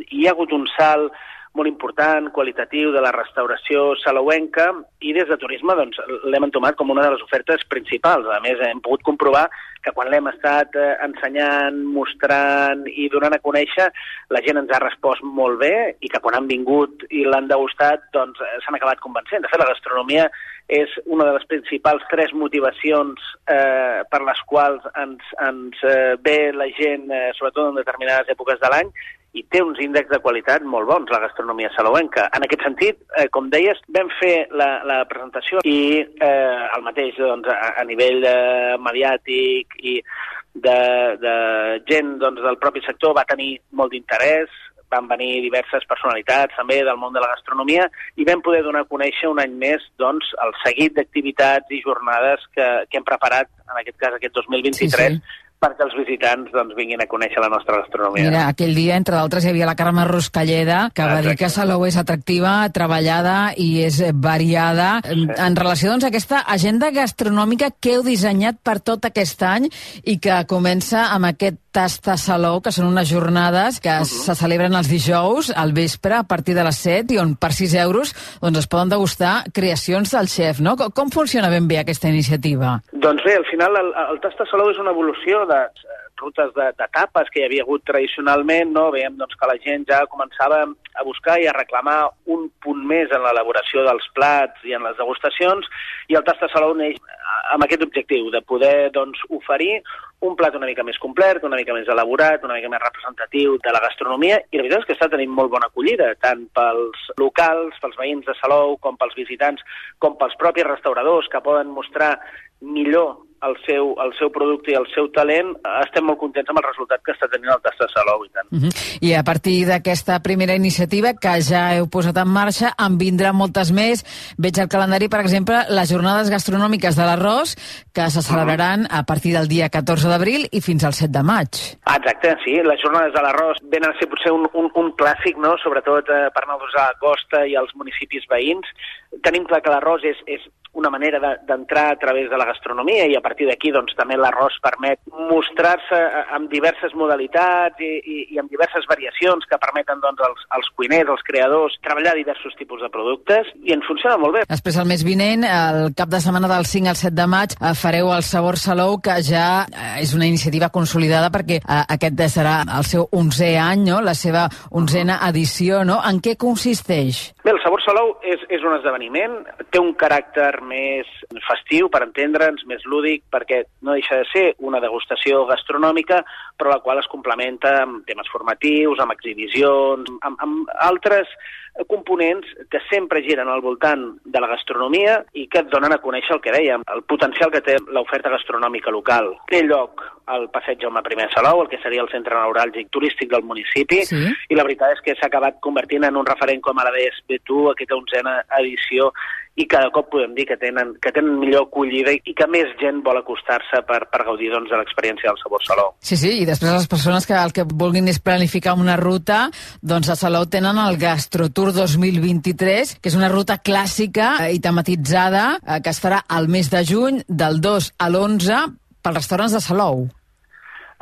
Hi ha hagut un salt molt important, qualitatiu, de la restauració salouenca, i des de turisme doncs, l'hem entomat com una de les ofertes principals. A més, hem pogut comprovar que quan l'hem estat ensenyant, mostrant i donant a conèixer, la gent ens ha respost molt bé i que quan han vingut i l'han degustat doncs, s'han acabat convencent. De fet, la gastronomia és una de les principals 3 motivacions per les quals ens ve la gent, sobretot en determinades èpoques de l'any, i té uns índexs de qualitat molt bons, la gastronomia salouenca. En aquest sentit, com deies, vam fer la presentació i el mateix doncs, a nivell mediàtic i de gent doncs, del propi sector va tenir molt d'interès, van venir diverses personalitats també del món de la gastronomia i vam poder donar a conèixer un any més doncs, el seguit d'activitats i jornades que hem preparat, en aquest cas aquest 2023, sí. perquè els visitants doncs, vinguin a conèixer la nostra gastronomia. Mira, aquell dia, entre d'altres, hi havia la Carme Ruscalleda, que va dir que Salou és atractiva, treballada i és variada. Sí. En relació doncs, a aquesta agenda gastronòmica que heu dissenyat per tot aquest any i que comença amb aquest Tasta Salou, que són unes jornades que se celebren els dijous al vespre a partir de les 7 i on per 6 euros doncs, es poden degustar creacions del xef, no? Com funciona ben bé aquesta iniciativa? Doncs bé, al final el Tasta Salou és una evolució de rutes de tapes que hi havia hagut tradicionalment, no? Veiem doncs, que la gent ja començava a buscar i a reclamar un punt més en l'elaboració dels plats i en les degustacions, i el Tasta Salou neix amb aquest objectiu de poder doncs, oferir un plat una mica més complet, una mica més elaborat, una mica més representatiu de la gastronomia, i la veritat és que està tenint molt bona acollida, tant pels locals, pels veïns de Salou, com pels visitants, com pels propis restauradors que poden mostrar millor el seu producte i el seu talent. Estem molt contents amb el resultat que està tenint el Tasta Salou i tant. I a partir d'aquesta primera iniciativa que ja heu posat en marxa, en vindran moltes més. Veig al calendari, per exemple, les jornades gastronòmiques de l'arròs, que se celebraran a partir del dia 14 d'abril i fins al 7 de maig. Exacte, sí. Les jornades de l'arròs venen a ser potser un clàssic, no? Sobretot per nosaltres a la costa i als municipis veïns. Tenim clar que l'arròs és una manera d'entrar a través de la gastronomia i a partir d'aquí doncs, també l'arròs permet mostrar-se amb diverses modalitats i amb diverses variacions que permeten doncs, als cuiners, als creadors, treballar diversos tipus de productes i ens funciona molt bé. Després, el mes vinent, el cap de setmana del 5 al 7 de maig, fareu el Sabor Salou, que ja és una iniciativa consolidada perquè aquest serà el seu 11è any, no? La seva 11a edició. No? En què consisteix? Bé, el Sabor Salou és un esdeveniment, té un caràcter més festiu, per entendre'ns, més lúdic, perquè no deixa de ser una degustació gastronòmica, però la qual es complementa amb temes formatius, amb exhibicions, amb altres components que sempre giren al voltant de la gastronomia i que et donen a conèixer el que dèiem, el potencial que té l'oferta gastronòmica local. Té lloc al passeig Jaume I Salou, el que seria el centre neuràlgic turístic del municipi, sí. I la veritat és que s'ha acabat convertint en un referent, com ara deies bé tu, aquesta 11a edició, i cada cop podem dir que tenen millor acollida i que més gent vol acostar-se per gaudir doncs, de l'experiència del Sabor Salou. Sí, i després les persones que el que vulguin és planificar una ruta, doncs a Salou tenen el Gastrotour 2023, que és una ruta clàssica i tematitzada que es farà al mes de juny, del 2 a l'11, pels restaurants de Salou.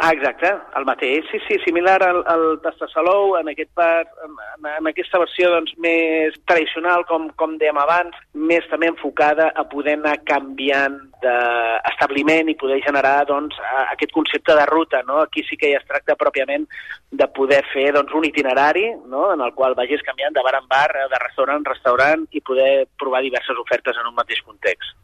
Exacte, el mateix, sí, similar al Tasta Salou, en aquesta versió doncs, més tradicional, com dèiem abans, més també enfocada a poder anar canviant d'establiment i poder generar doncs, aquest concepte de ruta, no? Aquí sí que ja es tracta pròpiament de poder fer doncs, un itinerari, no? En el qual vagis canviant de bar en bar, de restaurant en restaurant i poder provar diverses ofertes en un mateix context.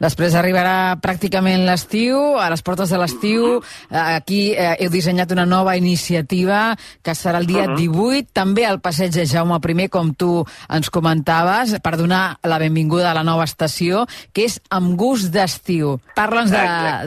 Després arribarà pràcticament l'estiu, a les portes de l'estiu. Aquí heu dissenyat una nova iniciativa que serà el dia 18, també al passeig de Jaume I, com tu ens comentaves, per donar la benvinguda a la nova estació, que és Amb gust d'estiu. Parla'ns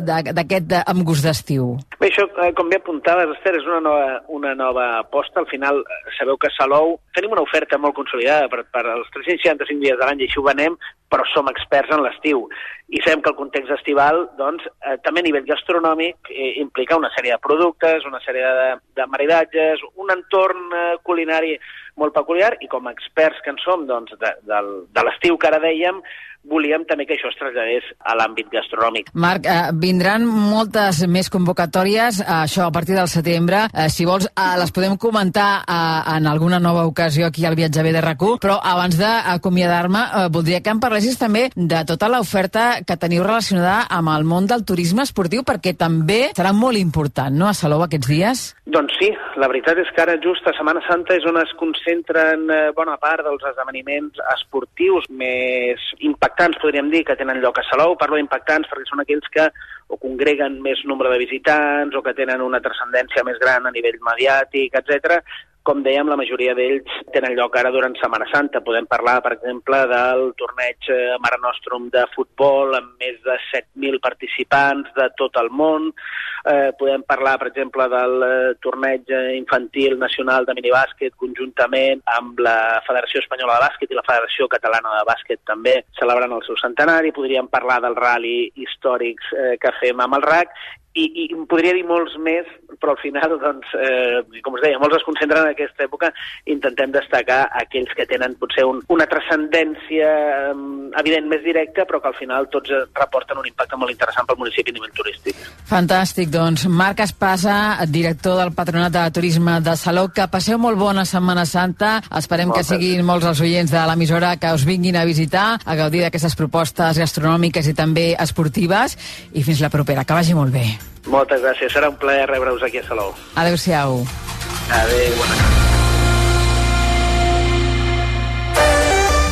d'aquest Amb gust d'estiu. Bé, això, com bé apuntaves, Esther, és una nova aposta. Al final, sabeu que a Salou tenim una oferta molt consolidada per als 365 dies de l'any, i així ho venem, però som experts en l'estiu. I sabem que el context estival, doncs, també a nivell gastronòmic, implica una sèrie de productes, una sèrie de maridatges, un entorn culinari molt peculiar, i com a experts que en som doncs, de l'estiu que ara dèiem, volíem també que això es traslladés a l'àmbit gastronòmic. Marc, vindran moltes més convocatòries, això a partir del setembre. Si vols, les podem comentar en alguna nova ocasió aquí al Viatge Bé de RAC1, però abans d'acomiadar-me, voldria que em parlessis també de tota l'oferta que teniu relacionada amb el món del turisme esportiu, perquè també serà molt important, no?, a Salou aquests dies? Doncs sí, la veritat és que ara just a Setmana Santa és on es concentren bona part dels esdeveniments esportius més impactants, podríem dir, que tenen lloc a Salou. Parlo d'impactants perquè són aquells que o congreguen més nombre de visitants o que tenen una transcendència més gran a nivell mediàtic, etc. Com dèiem, la majoria d'ells tenen lloc ara durant Setmana Santa. Podem parlar, per exemple, del torneig Mare Nostrum de futbol amb més de 7.000 participants de tot el món. Podem parlar, per exemple, del torneig infantil nacional de minibàsquet conjuntament amb la Federació Espanyola de Bàsquet i la Federació Catalana de Bàsquet també celebrant el seu centenari. Podríem parlar del rally històrics que fem amb el RAC i podria dir molts més, però al final, doncs, com us deia, molts es concentren en aquesta època. Intentem destacar aquells que tenen potser una transcendència evident més directa, però que al final tots reporten un impacte molt interessant pel municipi a nivell turístic. Fantàstic, doncs. Marc Espasa, director del Patronat de Turisme de Salou, que passeu molt bona Setmana Santa. Esperem que siguin molts els oients de l'emissora que us vinguin a visitar, a gaudir d'aquestes propostes gastronòmiques i també esportives, i fins la propera. Que vagi molt bé. Moltes gràcies, serà un plaer rebre-us aquí a Salou. Adéu-siau. Adéu, bona nit.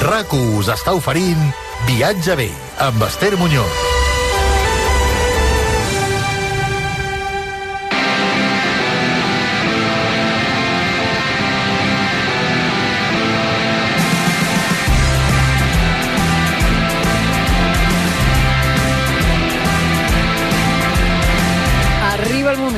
RAC1 us està oferint Viatge Bé, amb Esther Muñoz.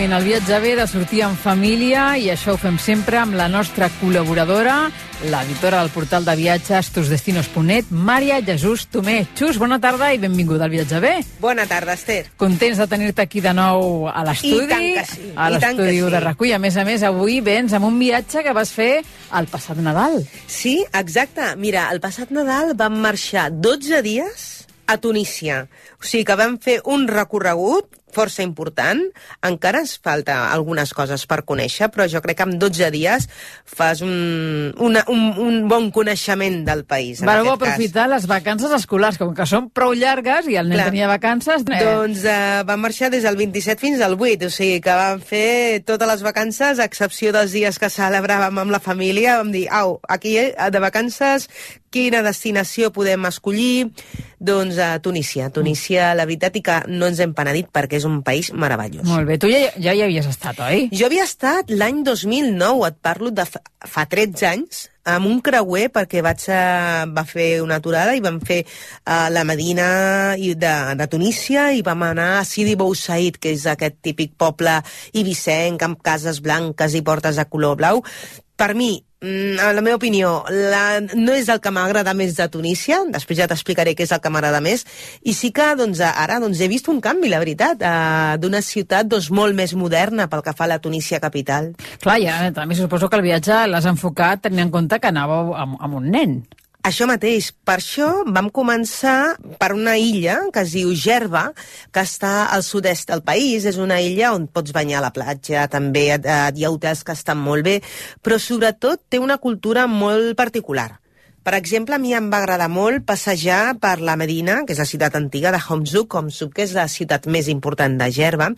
El Viatge Bé de sortir en família, i això ho fem sempre amb la nostra col·laboradora, l'editora del portal de viatges tusdestinos.net, Mària Jesús Tomé. Xus, bona tarda i benvinguda al Viatge Bé. Bona tarda, Esther. Contents de tenir-te aquí de nou a l'estudi, I tant que sí. A l'estudi de RAC1. I a més, avui vens amb un viatge que vas fer el passat Nadal. Sí, exacte. Mira, el passat Nadal vam marxar 12 dies a Tunísia. O sigui que vam fer un recorregut força important. Encara ens falta algunes coses per conèixer, però jo crec que en 12 dies fas un bon coneixement del país. Vareu aprofitar les vacances escolars, com que són prou llargues i el nen tenia vacances. Doncs vam marxar des del 27 fins al 8, o sigui que vam fer totes les vacances, a excepció dels dies que celebràvem amb la família. Vam dir, aquí de vacances, quina destinació podem escollir? Doncs a Tunísia. Tunísia, la veritat, i que no ens hem penedit perquè és un país meravellós. Molt bé. Tu ja hi havies estat, oi? Jo havia estat l'any 2009, et parlo de fa 13 anys, amb un creuer, perquè va fer una aturada i vam fer la Medina de Tunísia i vam anar a Sidi Bou Said, que és aquest típic poble ibicenc amb cases blanques i portes de color blau. Per mi, en la meva opinió, no és el que m'agrada més de Tunísia, després ja t'explicaré què és el que m'agrada més, i sí que ara he vist un canvi, la veritat, d'una ciutat molt més moderna pel que fa a la Tunísia capital. Clar, ja també suposo que el viatge l'has enfocat tenint en compte que anàveu amb un nen. Això mateix. Per això vam començar per una illa que es diu Gerba, que està al sud-est del país. És una illa on pots banyar a la platja, també hi ha hotels que estan molt bé, però sobretot té una cultura molt particular. Per exemple, a mi em va agradar molt passejar per la Medina, que és la ciutat antiga de Homzuk, que és la ciutat més important de Gerba.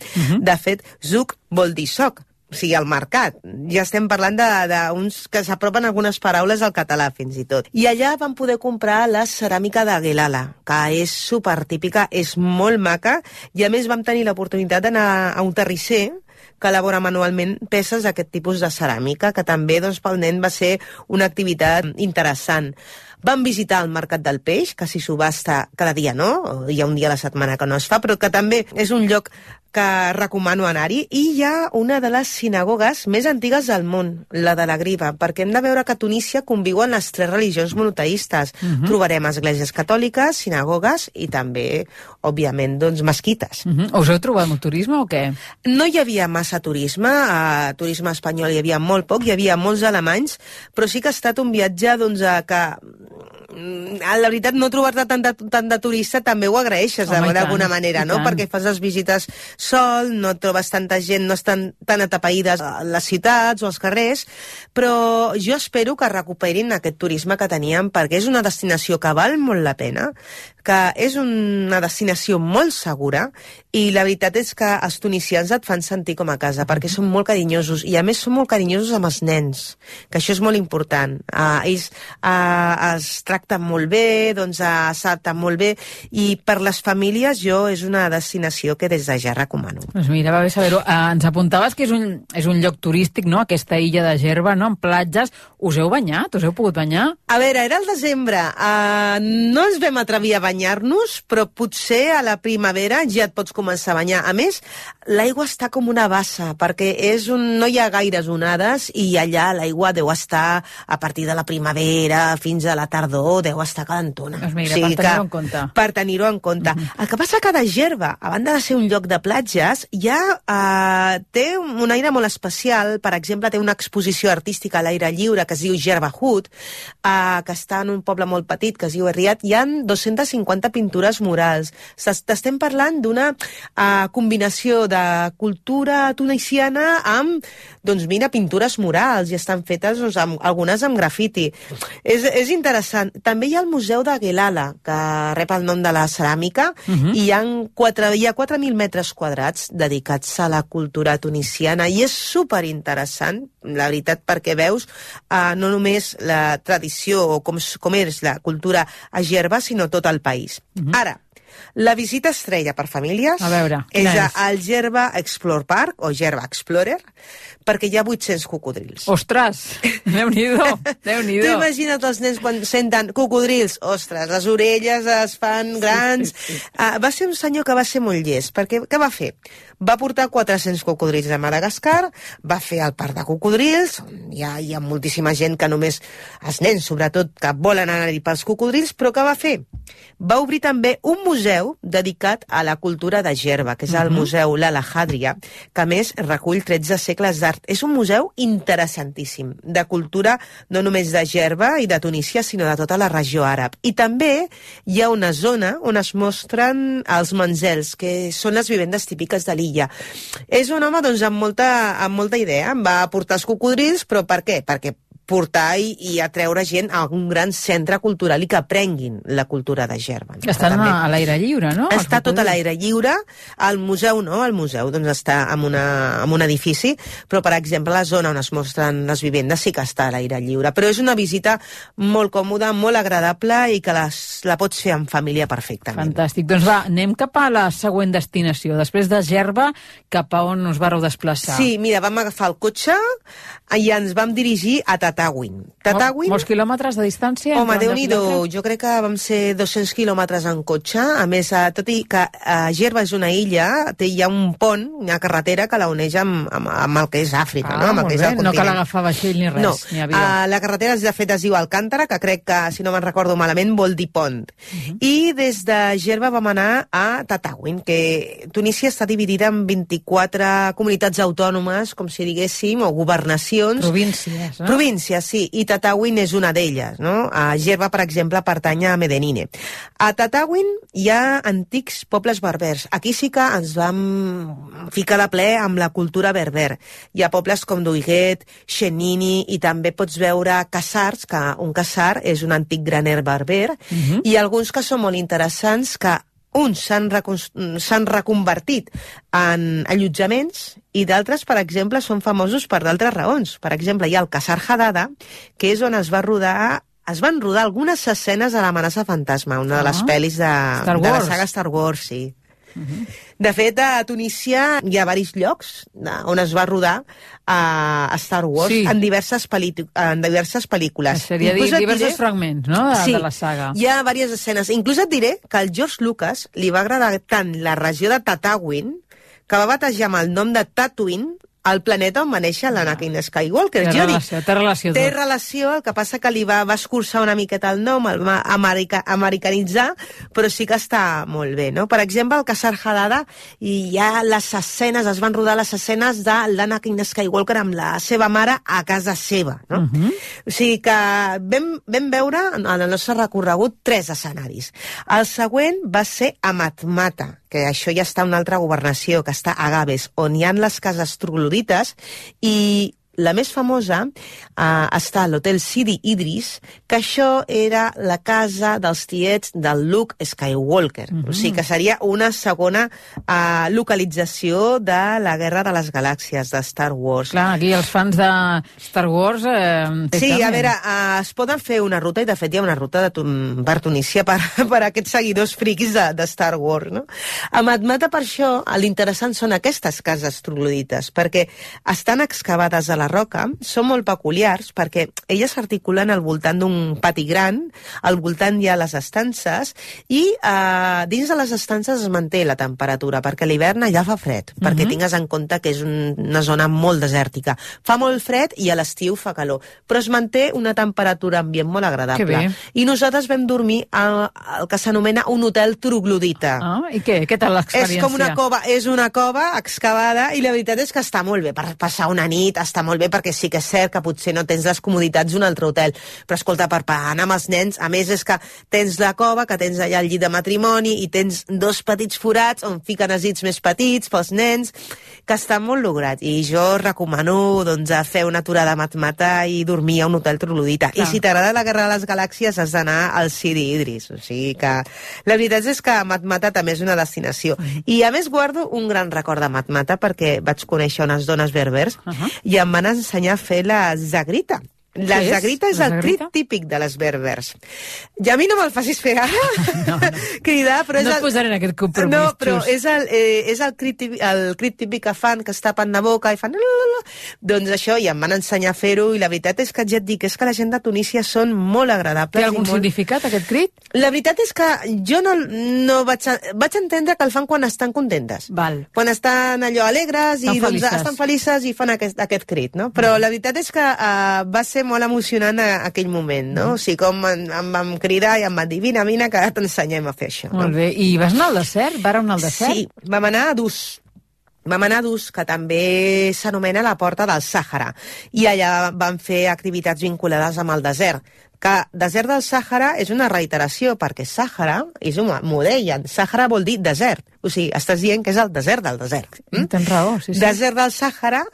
De fet, Zuk vol dir soc, o sigui, el mercat. Ja estem parlant d'uns que s'apropen algunes paraules al català, fins i tot. I allà vam poder comprar la ceràmica de Guelala, que és supertípica, és molt maca, i a més vam tenir l'oportunitat d'anar a un terrisser que elabora manualment peces d'aquest tipus de ceràmica, que també pel nen va ser una activitat interessant. Vam visitar el Mercat del Peix, que s'hi subhasta cada dia, no? Hi ha un dia a la setmana que no es fa, però que també és un lloc que recomano anar-hi, i hi ha una de les sinagogues més antigues del món, la de la Griva, perquè hem de veure que a Tunísia conviuen les 3 religions monoteistes. Trobarem esglésies catòliques, sinagogues i també, òbviament, mesquites. Us heu trobat molt turisme o què? No hi havia massa turisme, a turisme espanyol hi havia molt poc, hi havia molts alemanys, però sí que ha estat un viatge que la veritat, no trobar-te tant de turista també ho agraeixes d'alguna manera, no? Perquè fas les visites sol, no trobes tanta gent, no estan tan atapeïdes a les ciutats o als carrers, però jo espero que recuperin aquest turisme que teníem, perquè és una destinació que val molt la pena, que és una destinació molt segura, i la veritat és que els tunisians et fan sentir com a casa, perquè són molt carinyosos, i a més són molt carinyosos amb els nens, que això és molt important. Ells es tracten molt bé, s'adapten molt bé, i per les famílies és una destinació que des de ja recomano. Doncs mira, va bé saber-ho. Ens apuntaves que és un lloc turístic, no?, aquesta illa de Gerba, no?, amb platges. Us heu banyat? Us heu pogut banyar? A veure, era el desembre. No ens vam atrevir a banyar-nos, però potser a la primavera ja et pots començar a banyar. A més, l'aigua està com una bassa, perquè no hi ha gaires onades, i allà l'aigua deu estar a partir de la primavera fins a la tardor, deu estar calentona. Doncs mira, per tenir-ho en compte. Per tenir-ho en compte. El que passa que de Gerba, a banda de ser un lloc de platges, ja té un aire molt especial. Per exemple, té una exposició artística a l'aire lliure que es diu Gerba Hood, que està en un poble molt petit que es diu Erriat. Hi ha 250 pintures murals. T'estem parlant d'una combinació de cultura tunisiana amb, pintures murals, i estan fetes algunes amb grafiti. És interessant. També hi ha el Museu de Guelala, que rep el nom de la ceràmica, i hi ha 4.000 metres quadrats dedicats a la cultura tunisiana, i és superinteressant, la veritat, perquè veus no només la tradició o com és la cultura a Gerba, sinó tot el país. Ara, la visita estrella per famílies és al Gerba Explore Park, o Gerba Explorer, perquè hi ha 800 cocodrils. Ostres, Déu-n'hi-do, Déu-n'hi-do. Tu imagina't els nens quan senten cocodrils, ostres, les orelles es fan grans. Va ser un senyor que va ser molt llest, perquè què va fer? Va portar 400 cocodrils de Madagascar, va fer el parc de cocodrils, hi ha moltíssima gent que només, els nens sobretot, que volen anar-hi pels cocodrils, però què va fer? Va obrir també un museu dedicat a la cultura de Gerba, que és el Museu Lala Hadria, que a més recull 13 segles d'art. És un museu interessantíssim, de cultura no només de Gerba i de Tunísia, sinó de tota la regió àrab. I també hi ha una zona on es mostren els manzels, que són les vivendes típiques de l'illa. És un home amb molta idea. Em va portar els cocodrils, però per què? Perquè portar i atreure gent a un gran centre cultural i que aprenguin la cultura de Gerba. Estan a l'aire lliure, no? Està tot a l'aire lliure. El museu no, el museu està en un edifici, però, per exemple, la zona on es mostren les vivendes sí que està a l'aire lliure. Però és una visita molt còmoda, molt agradable i que la pots fer en família perfectament. Fantàstic. Doncs va, anem cap a la següent destinació. Després de Gerba, cap a on us vareu desplaçar? Sí, mira, vam agafar el cotxe i ens vam dirigir a Tatawin. Molts quilòmetres de distància? Home, Déu-n'hi-do, jo crec que vam ser 200 quilòmetres en cotxe. A més, tot i que Gerba és una illa, hi ha un pont, una carretera que la uneix amb el que és Àfrica, no? Amb el que és el continent. No cal agafar vaixell ni res, ni avió. La carretera, de fet, es diu Alcántara, que crec que, si no me'n recordo malament, vol dir pont. I des de Gerba vam anar a Tatawin, que Tunísia està dividida en 24 comunitats autònomes, com si diguéssim, o governacions, regions... Províncies, no? Províncies, sí, i Tataouine és una d'elles, no? A Gerba, per exemple, pertany a Medellín. A Tataouine hi ha antics pobles berbers. Aquí sí que ens vam ficar de ple amb la cultura berber. Hi ha pobles com Duiguet, Xenini, i també pots veure casars, que un casar és un antic graner berber, i alguns que són molt interessants, que uns s'han reconvertit en allotjaments i d'altres, per exemple, són famosos per d'altres raons. Per exemple, hi ha el Casar Hadada, que és on es van rodar algunes escenes de l'amenaça fantasma, una de les pel·lis de la saga Star Wars, sí. De fet, a Tunísia hi ha diversos llocs on es va rodar a Star Wars en diverses pel·lícules. Seria diversos fragments, no?, de la saga. Hi ha diverses escenes. Inclús et diré que al George Lucas li va agradar tant la regió de Tataouine que va batejar amb el nom de Tatooine el planeta on va néixer l'Anakin Skywalker. Té relació. Té relació, el que passa que li va escurçar una miqueta el nom, el va americanitzar, però sí que està molt bé, no? Per exemple, al Casar Hadada hi ha les escenes, es van rodar les escenes de l'Anakin Skywalker amb la seva mare a casa seva, no? O sigui que vam veure en el nostre recorregut 3 escenaris. El següent va ser a Matmata, que això ja està a una altra governació, que està a Gaves, on hi ha les cases troglodites, i la més famosa està a l'Hotel Sidi Idris, que això era la casa dels tiets del Luke Skywalker. O sigui que seria una segona localització de la Guerra de les Galàxies, de Star Wars. Clar, aquí els fans de Star Wars... Sí, a veure, es poden fer una ruta, i de fet hi ha una ruta per Tunísia per aquests seguidors friquis de Star Wars, no? A Matmata, per això, l'interessant són aquestes cases troglodites, perquè estan excavades a la roca, són molt peculiars perquè elles s'articulen al voltant d'un pati gran, al voltant hi ha les estances i dins de les estances es manté la temperatura, perquè a l'hivern allà fa fred, perquè tingues en compte que és una zona molt desèrtica. Fa molt fred i a l'estiu fa calor, però es manté una temperatura ambient molt agradable. I nosaltres vam dormir al que s'anomena un hotel troglodita. I què? Què tal l'experiència? És com una cova, és una cova excavada, i la veritat és que està molt bé per passar una nit, està molt bé perquè sí que és cert que potser no tens les comoditats d'un altre hotel, però escolta, per anar amb els nens, a més és que tens la cova, que tens allà el llit de matrimoni i tens 2 petits forats on fiquen els llits més petits pels nens, que està molt lograt, i jo recomano doncs fer una aturada a Matmata i dormir a un hotel troglodita. I si t'agrada la Guerra de les Galàxies has d'anar al Sidi Idris, o sigui que la veritat és que Matmata també és una destinació. I a més guardo un gran record de Matmata perquè vaig conèixer unes dones berbers i em van ensenyar a fer la zagrita. La zagrita és el crit típic de les berbers. I a mi no me'l facis fer ara, cridar, però és... No et posaré en aquest compromís. No, però és el crit típic que fan, que es tapen la boca i fan... Doncs això, i em van ensenyar a fer-ho, i la veritat és que ja et dic, és que la gent de Tunísia són molt agradables. Té algun significat, aquest crit? La veritat és que jo no vaig entendre que el fan quan estan contentes. Quan estan allò alegres i estan felices i fan aquest crit, no? Però la veritat és que va ser molt emocionant aquell moment, no? O sigui, com em vam cridar i em van dir, vine, que t'ensenyem a fer això. Molt bé. I vas anar al desert? Vàreu anar al desert? Sí, vam anar a Dus. Vam anar a Dus, que també s'anomena la Porta del Sàhara, i allà vam fer activitats vinculades amb el desert, que desert del Sàhara és una reiteració, perquè Sàhara és m'ho deien, Sàhara vol dir desert, o sigui, estàs dient que és el desert del desert. Tens raó, sí. Desert del Sàhara,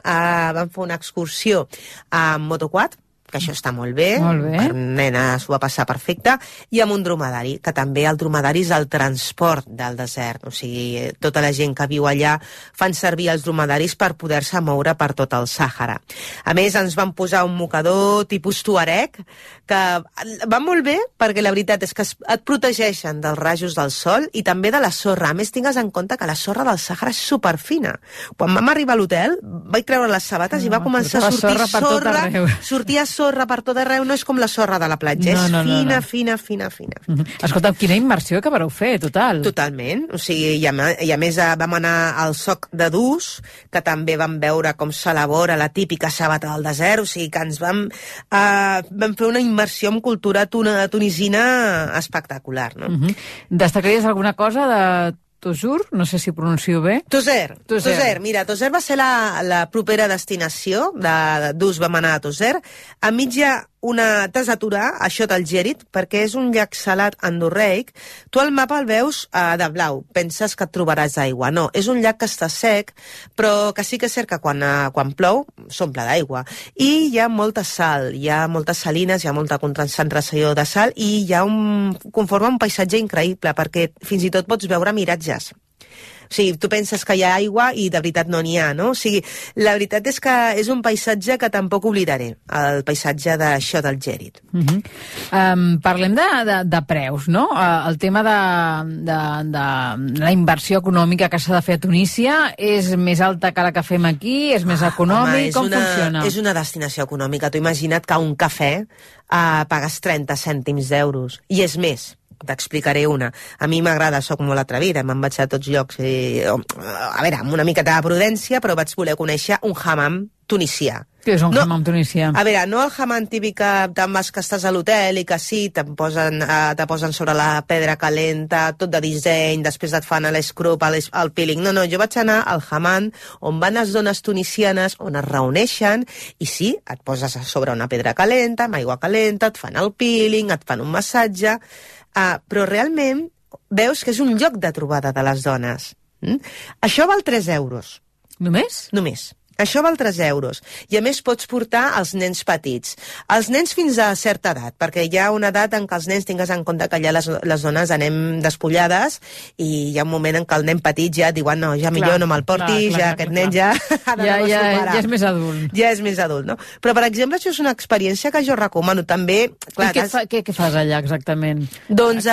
vam fer una excursió amb motoquad, que això està molt bé, per nenes ho va passar perfecte, i amb un dromedari, que també el dromedari és el transport del desert, o sigui, tota la gent que viu allà fan servir els dromedaris per poder-se moure per tot el Sàhara. A més, ens van posar un mocador tipus tuareg, que va molt bé, perquè la veritat és que et protegeixen dels rajos del sol i també de la sorra. A més, tingues en compte que la sorra del Sàhara és superfina. Quan vam arribar a l'hotel, vaig treure les sabates i va començar a sortir sorra, sortia sorra per tot arreu, no és com la sorra de la platja, és fina. Escolta, quina immersió que vareu fer, total. Totalment, o sigui, i a més vam anar al soc de Dus, que també vam veure com s'elabora la típica sabata del desert, o sigui que ens vam fer una immersió en cultura tunisina espectacular, no? Destacaries alguna cosa de Tosur, no sé si pronuncio bé. Toser. Mira, Toser va ser la propera destinació d'ús, vam anar a Toser. A mitja t'has d'aturar a Xot al Gèrit, perquè és un llac salat endorreic. Tu al mapa el veus de blau, penses que et trobaràs aigua. No, és un llac que està sec, però que sí que és cert que quan plou s'omple d'aigua. I hi ha molta sal, hi ha moltes salines, hi ha molta concentració de sal i conforma un paisatge increïble, perquè fins i tot pots veure miratges. O sigui, tu penses que hi ha aigua i de veritat no n'hi ha, no? O sigui, la veritat és que és un paisatge que tampoc oblidaré, el paisatge de Xot al Gèrit. Parlem de preus, no? El tema de la inversió econòmica que s'ha de fer a Tunísia és més alta que la que fem aquí? És més econòmic? Com funciona? És una destinació econòmica. Tu imagina't que un cafè pagues 30 cèntims d'euros. I és més. T'explicaré una. A mi m'agrada, soc molt atrevida, me'n vaig a tots llocs. A veure, amb una miqueta de prudència, però vaig voler conèixer un hammam tunisià. Què és un hammam tunisià? A veure, no el hammam típic que estàs a l'hotel i que sí, te posen sobre la pedra calenta, tot de disseny, després et fan l'escrop, el peeling. No, jo vaig anar al hammam on van les dones tunisianes, on es reuneixen, i sí, et poses sobre una pedra calenta, amb aigua calenta, et fan el peeling, et fan un massatge, però realment veus que és un lloc de trobada de les dones. Això val 3 euros. Només? Només. Això val 3 euros. I a més pots portar els nens petits. Els nens fins a certa edat, perquè hi ha una edat en què els nens tingues en compte que ja les dones anem despullades i hi ha un moment en què el nen petit ja diuen no, ja millor no me'l portis, ja aquest nen ja ha de ja és més adult. Ja és més adult, no? Però, per exemple, això és una experiència que jo recomano també. Clar, què fas allà exactament? Doncs,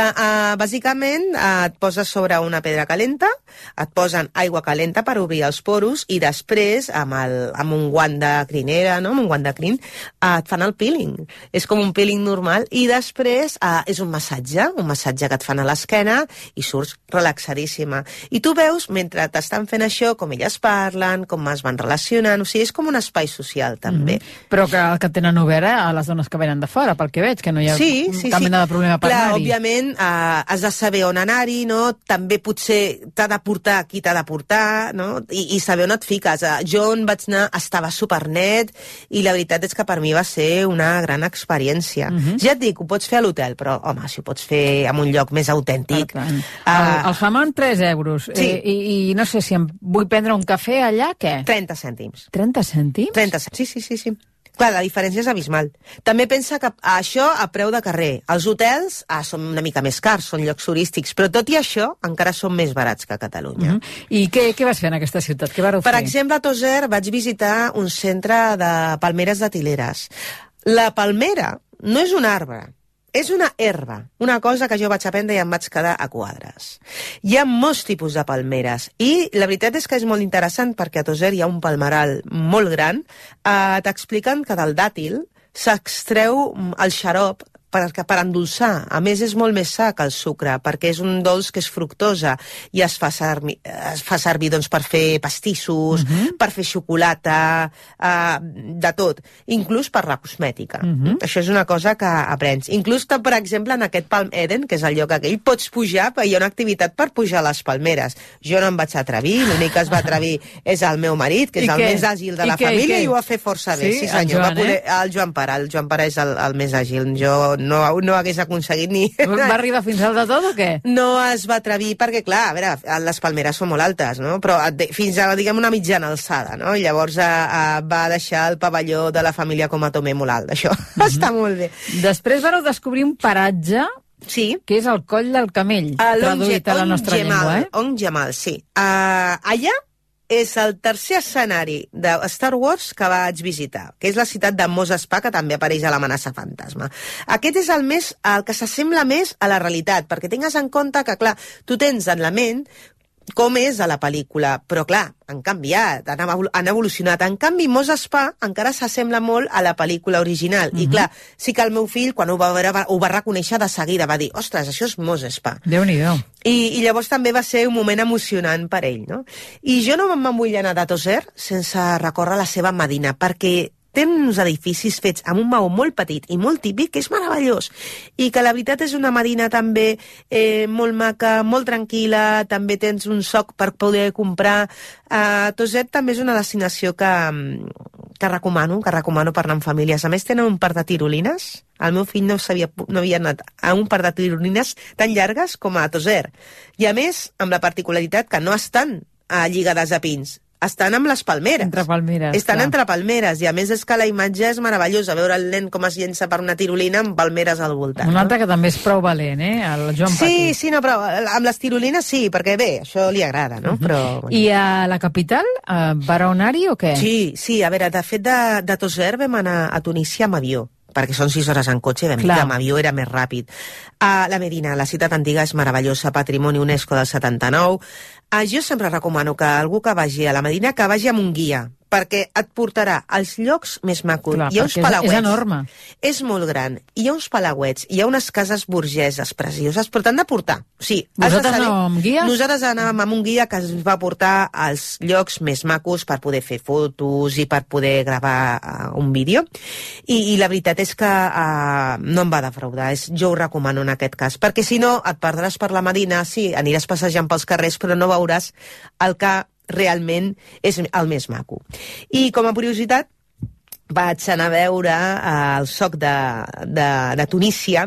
bàsicament, et poses sobre una pedra calenta, et posen aigua calenta per obrir els poros i després, amb un guant de crinera, no? Amb un guant de crin, et fan el peeling. És com un peeling normal i després és un massatge que et fan a l'esquena i surts relaxadíssima. I tu veus, mentre t'estan fent això, com elles parlen, com es van relacionant, o sigui, és com un espai social, també. Però que tenen obert a les dones que venen de fora, pel que veig, que no hi ha cap mena de problema per anar-hi. Clar, òbviament, has de saber on anar-hi, no? També potser t'ha de portar qui t'ha de portar, no? I saber on et fiques. Jo on vaig anar estava supernet i la veritat és que per mi va ser una gran experiència. Ja et dic, ho pots fer a l'hotel, però, home, si ho pots fer en un lloc més autèntic... El hammam, 3 euros. Sí. I no sé si em vull prendre un cafè allà, què? 30 cèntims. 30 cèntims? 30 cèntims, sí. Clar, la diferència és abismal. També pensa que això a preu de carrer. Els hotels són una mica més cars, són llocs turístics, però tot i això encara són més barats que a Catalunya. I què vas fer en aquesta ciutat? Què vareu fer? Per exemple, a Toser vaig visitar un centre de palmeres de Tileres. La palmera no és un arbre, és una herba, una cosa que jo vaig aprendre i em vaig quedar a quadres. Hi ha molts tipus de palmeres i la veritat és que és molt interessant perquè a Toser hi ha un palmeral molt gran. T'expliquen que del dàtil s'extreu el xarop per endolçar. A més, és molt més sa que el sucre, perquè és un dolç que és fructosa i es fa servir doncs, per fer pastissos, per fer xocolata, de tot, inclús per la cosmètica. Això és una cosa que aprens. Inclús, per exemple, en aquest Palm Eden, que és el lloc aquell, pots pujar, hi ha una activitat per pujar a les palmeres. Jo no em vaig atrevir, l'únic que es va atrevir és el meu marit, que és el més àgil de la família, i ho va fer força bé. Sí, senyor. El Joan Pare és el més àgil. Jo no hagués aconseguit ni... Va arribar fins al de tot o què? No es va atrevir perquè, clar, a veure, les palmeres són molt altes, no? Però fins a, diguem, una mitjana alçada, no? I llavors va deixar el pavelló de la família com a Tomé molt alt, això. Està molt bé. Després vareu descobrir un paratge que és el Coll del Camell, traduït a la nostra llengua, On Jamal, sí. Allà és el tercer escenari de Star Wars que vaig visitar, que és la ciutat de Mos Espa, que també apareix a l'Amenaça Fantasma. Aquest és el que s'assembla més a la realitat, perquè tingues en compte que, clar, tu tens en la ment com és a la pel·lícula, però clar, han canviat, han evolucionat. En canvi, Mos Espa encara s'assembla molt a la pel·lícula original. I clar, sí que el meu fill, quan ho va veure, ho va reconèixer de seguida, va dir, ostres, això és Mos Espa. Déu-n'hi-do. I llavors també va ser un moment emocionant per ell, no? I jo no me'n vull anar de Toser sense recórrer la seva Medina, perquè tenen uns edificis fets amb un maó molt petit i molt típic, que és meravellós, i que la veritat és una Medina també molt maca, molt tranquil·la, també tens un soc per poder comprar. Toset també és una destinació que recomano per anar amb famílies. A més, tenen un parc de tirolines. El meu fill no havia anat a un parc de tirolines tan llargues com a Toser. I a més, amb la particularitat que no estan lligades a pins, estan amb les palmeres. Entre palmeres. Estan entre palmeres, i a més és que la imatge és meravellosa, veure el nen com es llença per una tirolina amb palmeres al voltant. Un altre que també és prou valent, el Joan Petit. Sí, no, però amb les tirolines sí, perquè bé, això li agrada, no? Però, bueno. I a la capital, va anar-hi o què? Sí, a veure, de fet de Toser vam anar a Tunísia amb avió, perquè són 6 hores en cotxe, vam dir que amb avió era més ràpid. La Medina, la ciutat antiga, és meravellosa, patrimoni UNESCO del 79. Jo sempre recomano que algú que vagi a la Medina que vagi amb un guia, perquè et portarà als llocs més macos. Clar, hi ha uns palauets. És enorme. És molt gran. Hi ha uns palauets, hi ha unes cases burgeses precioses, però t'han de portar. Sí, vosaltres anàveu amb guies? Nosaltres anàvem amb un guia que ens va portar als llocs més macos per poder fer fotos i per poder gravar un vídeo. I la veritat és que no em va defraudar. Jo ho recomano en aquest cas, perquè si no et perdràs per la Medina, sí, aniràs passejant pels carrers, però no veuràs el que realment és el més maco. I com a curiositat, vaig anar a veure el soc de Tunísia,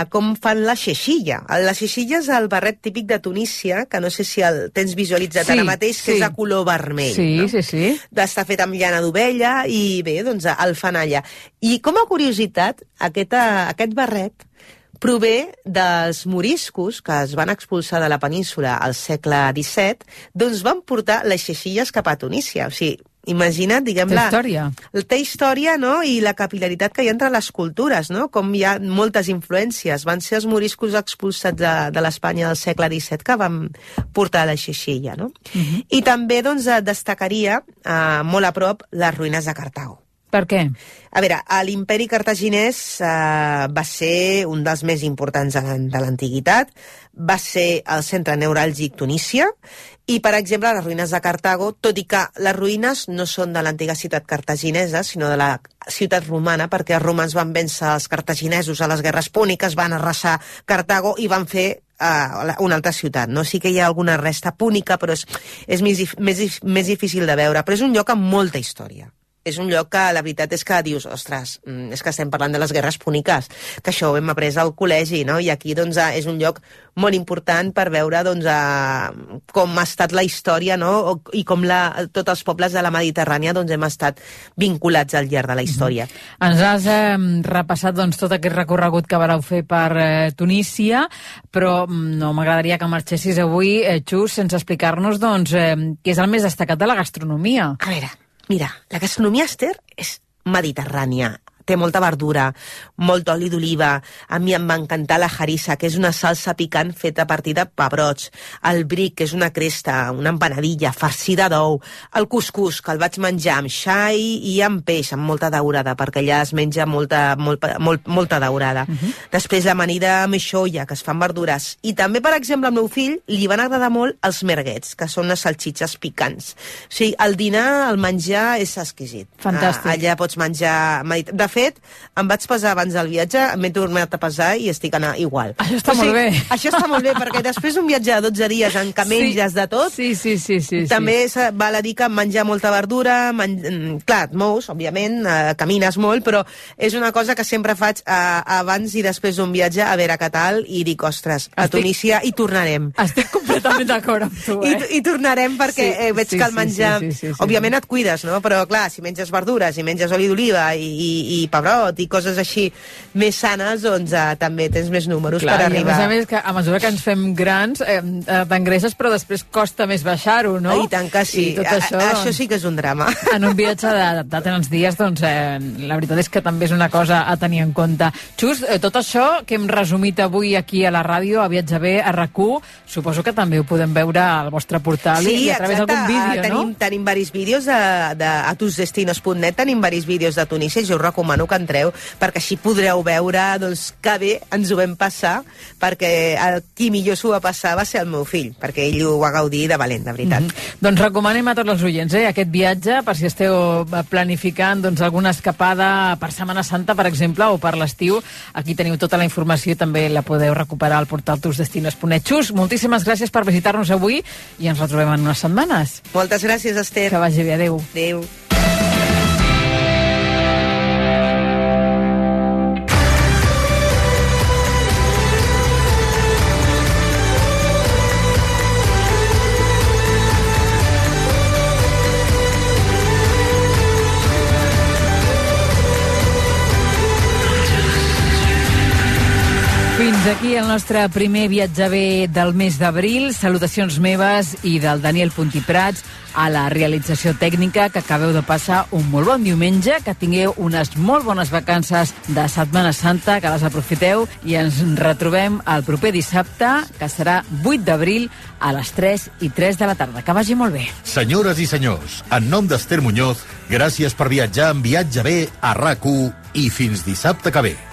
com fan la xeixilla. La xeixilla és el barret típic de Tunísia, que no sé si el tens visualitzat ara mateix, que és de color vermell. Sí. Està fet amb llana d'ovella i bé, doncs el fan allà. I com a curiositat, aquest barret prové dels moriscos que es van expulsar de la península al segle XVII, doncs van portar les xeixilles cap a Tunísia. O sigui, imagina't, diguem-la... Té història, no?, i la capil·laritat que hi ha entre les cultures, no?, com hi ha moltes influències. Van ser els moriscos expulsats de l'Espanya del segle XVII que van portar la xeixilla, no? I també, doncs, destacaria molt a prop les ruïnes de Cartago. Per què? A veure, l'imperi cartaginès va ser un dels més importants de l'antiguitat, va ser el centre neuràlgic Tunísia, i, per exemple, les ruïnes de Cartago, tot i que les ruïnes no són de l'antiga ciutat cartaginesa, sinó de la ciutat romana, perquè els romans van vèncer els cartaginesos a les guerres púniques, van arrasar Cartago i van fer una altra ciutat, no? Sí que hi ha alguna resta púnica, però és més difícil de veure, però és un lloc amb molta història. És un lloc que la veritat és que dius, ostres, és que estem parlant de les guerres púniques, que això ho hem après al col·legi, no? I aquí doncs és un lloc molt important per veure doncs com ha estat la història, no? I com tots els pobles de la Mediterrània doncs hem estat vinculats al llarg de la història. Ens has repassat doncs tot aquest recorregut que vareu fer per Tunísia, però no m'agradaria que marxessis avui, Xus, sense explicar-nos doncs què és el més destacat de la gastronomia. A veure, mira, la gastronomia, Esther, és mediterrània. Té molta verdura, molt oli d'oliva. A mi em va encantar la harissa, que és una salsa picant feta a partir de pebrots. El bric, que és una cresta, una empanadilla farcida d'ou. El cuscús, que el vaig menjar amb xai i amb peix, amb molta daurada, perquè allà es menja molta daurada. Després l'amanida meixolla, que es fa amb verdures. I també, per exemple, al meu fill li van agradar molt els merguets, que són unes salxitxes picants. O sigui, el dinar, el menjar és exquisit. Fantàstic. Allà pots menjar... De fet, em vaig pesar abans del viatge, m'he tornat a pesar i estic anant igual. Això està molt bé. Això està molt bé, perquè després d'un viatge de 12 dies en què menges de tot, també val a dir que menjar molta verdura, clar, et mous, òbviament, camines molt, però és una cosa que sempre faig abans i després d'un viatge, a veure què tal, i dic, ostres, a Tunísia hi tornarem. Estic completament d'acord amb tu, I tornarem perquè veig que el menjar... Òbviament et cuides, no? Però, clar, si menges verdures i menges oli d'oliva i pebrot i coses així més sanes, doncs també tens més números per arribar. I a més que a mesura que ens fem grans t'engreixes, però després costa més baixar-ho, no? I tant que sí. Això sí que és un drama. En un viatge de tants dies, doncs la veritat és que també és una cosa a tenir en compte. Xus, tot això que hem resumit avui aquí a la ràdio, a Viatge B, a RAC1, suposo que també ho podem veure al vostre portal i a través d'algun vídeo, no? Tenim diversos vídeos a tusdestinos.net, tenim diversos vídeos de Tunísia, jo us recomano recomano que entreu, perquè així podreu veure doncs, que bé ens ho vam passar, perquè el qui millor s'ho va passar va ser el meu fill, perquè ell ho va gaudir de valent, de veritat. Doncs recomanem a tots els oients aquest viatge, per si esteu planificant doncs, alguna escapada per Setmana Santa, per exemple, o per l'estiu. Aquí teniu tota la informació i també la podeu recuperar al portal tusdestinos.net. Xus, moltíssimes gràcies per visitar-nos avui i ens retrobem en unes setmanes. Moltes gràcies, Esther. Que vagi bé, adeu. Adeu. Fins aquí el nostre primer viatge bé del mes d'abril. Salutacions meves i del Daniel Puntiprats a la realització tècnica, que acabeu de passar un molt bon diumenge, que tingueu unes molt bones vacances de Setmana Santa, que les aprofiteu i ens retrobem el proper dissabte, que serà 8 d'abril a les 3:03 de la tarda. Que vagi molt bé. Senyores i senyors, en nom d'Esther Muñoz, gràcies per viatjar en Viatge bé a RAC1 i fins dissabte que ve.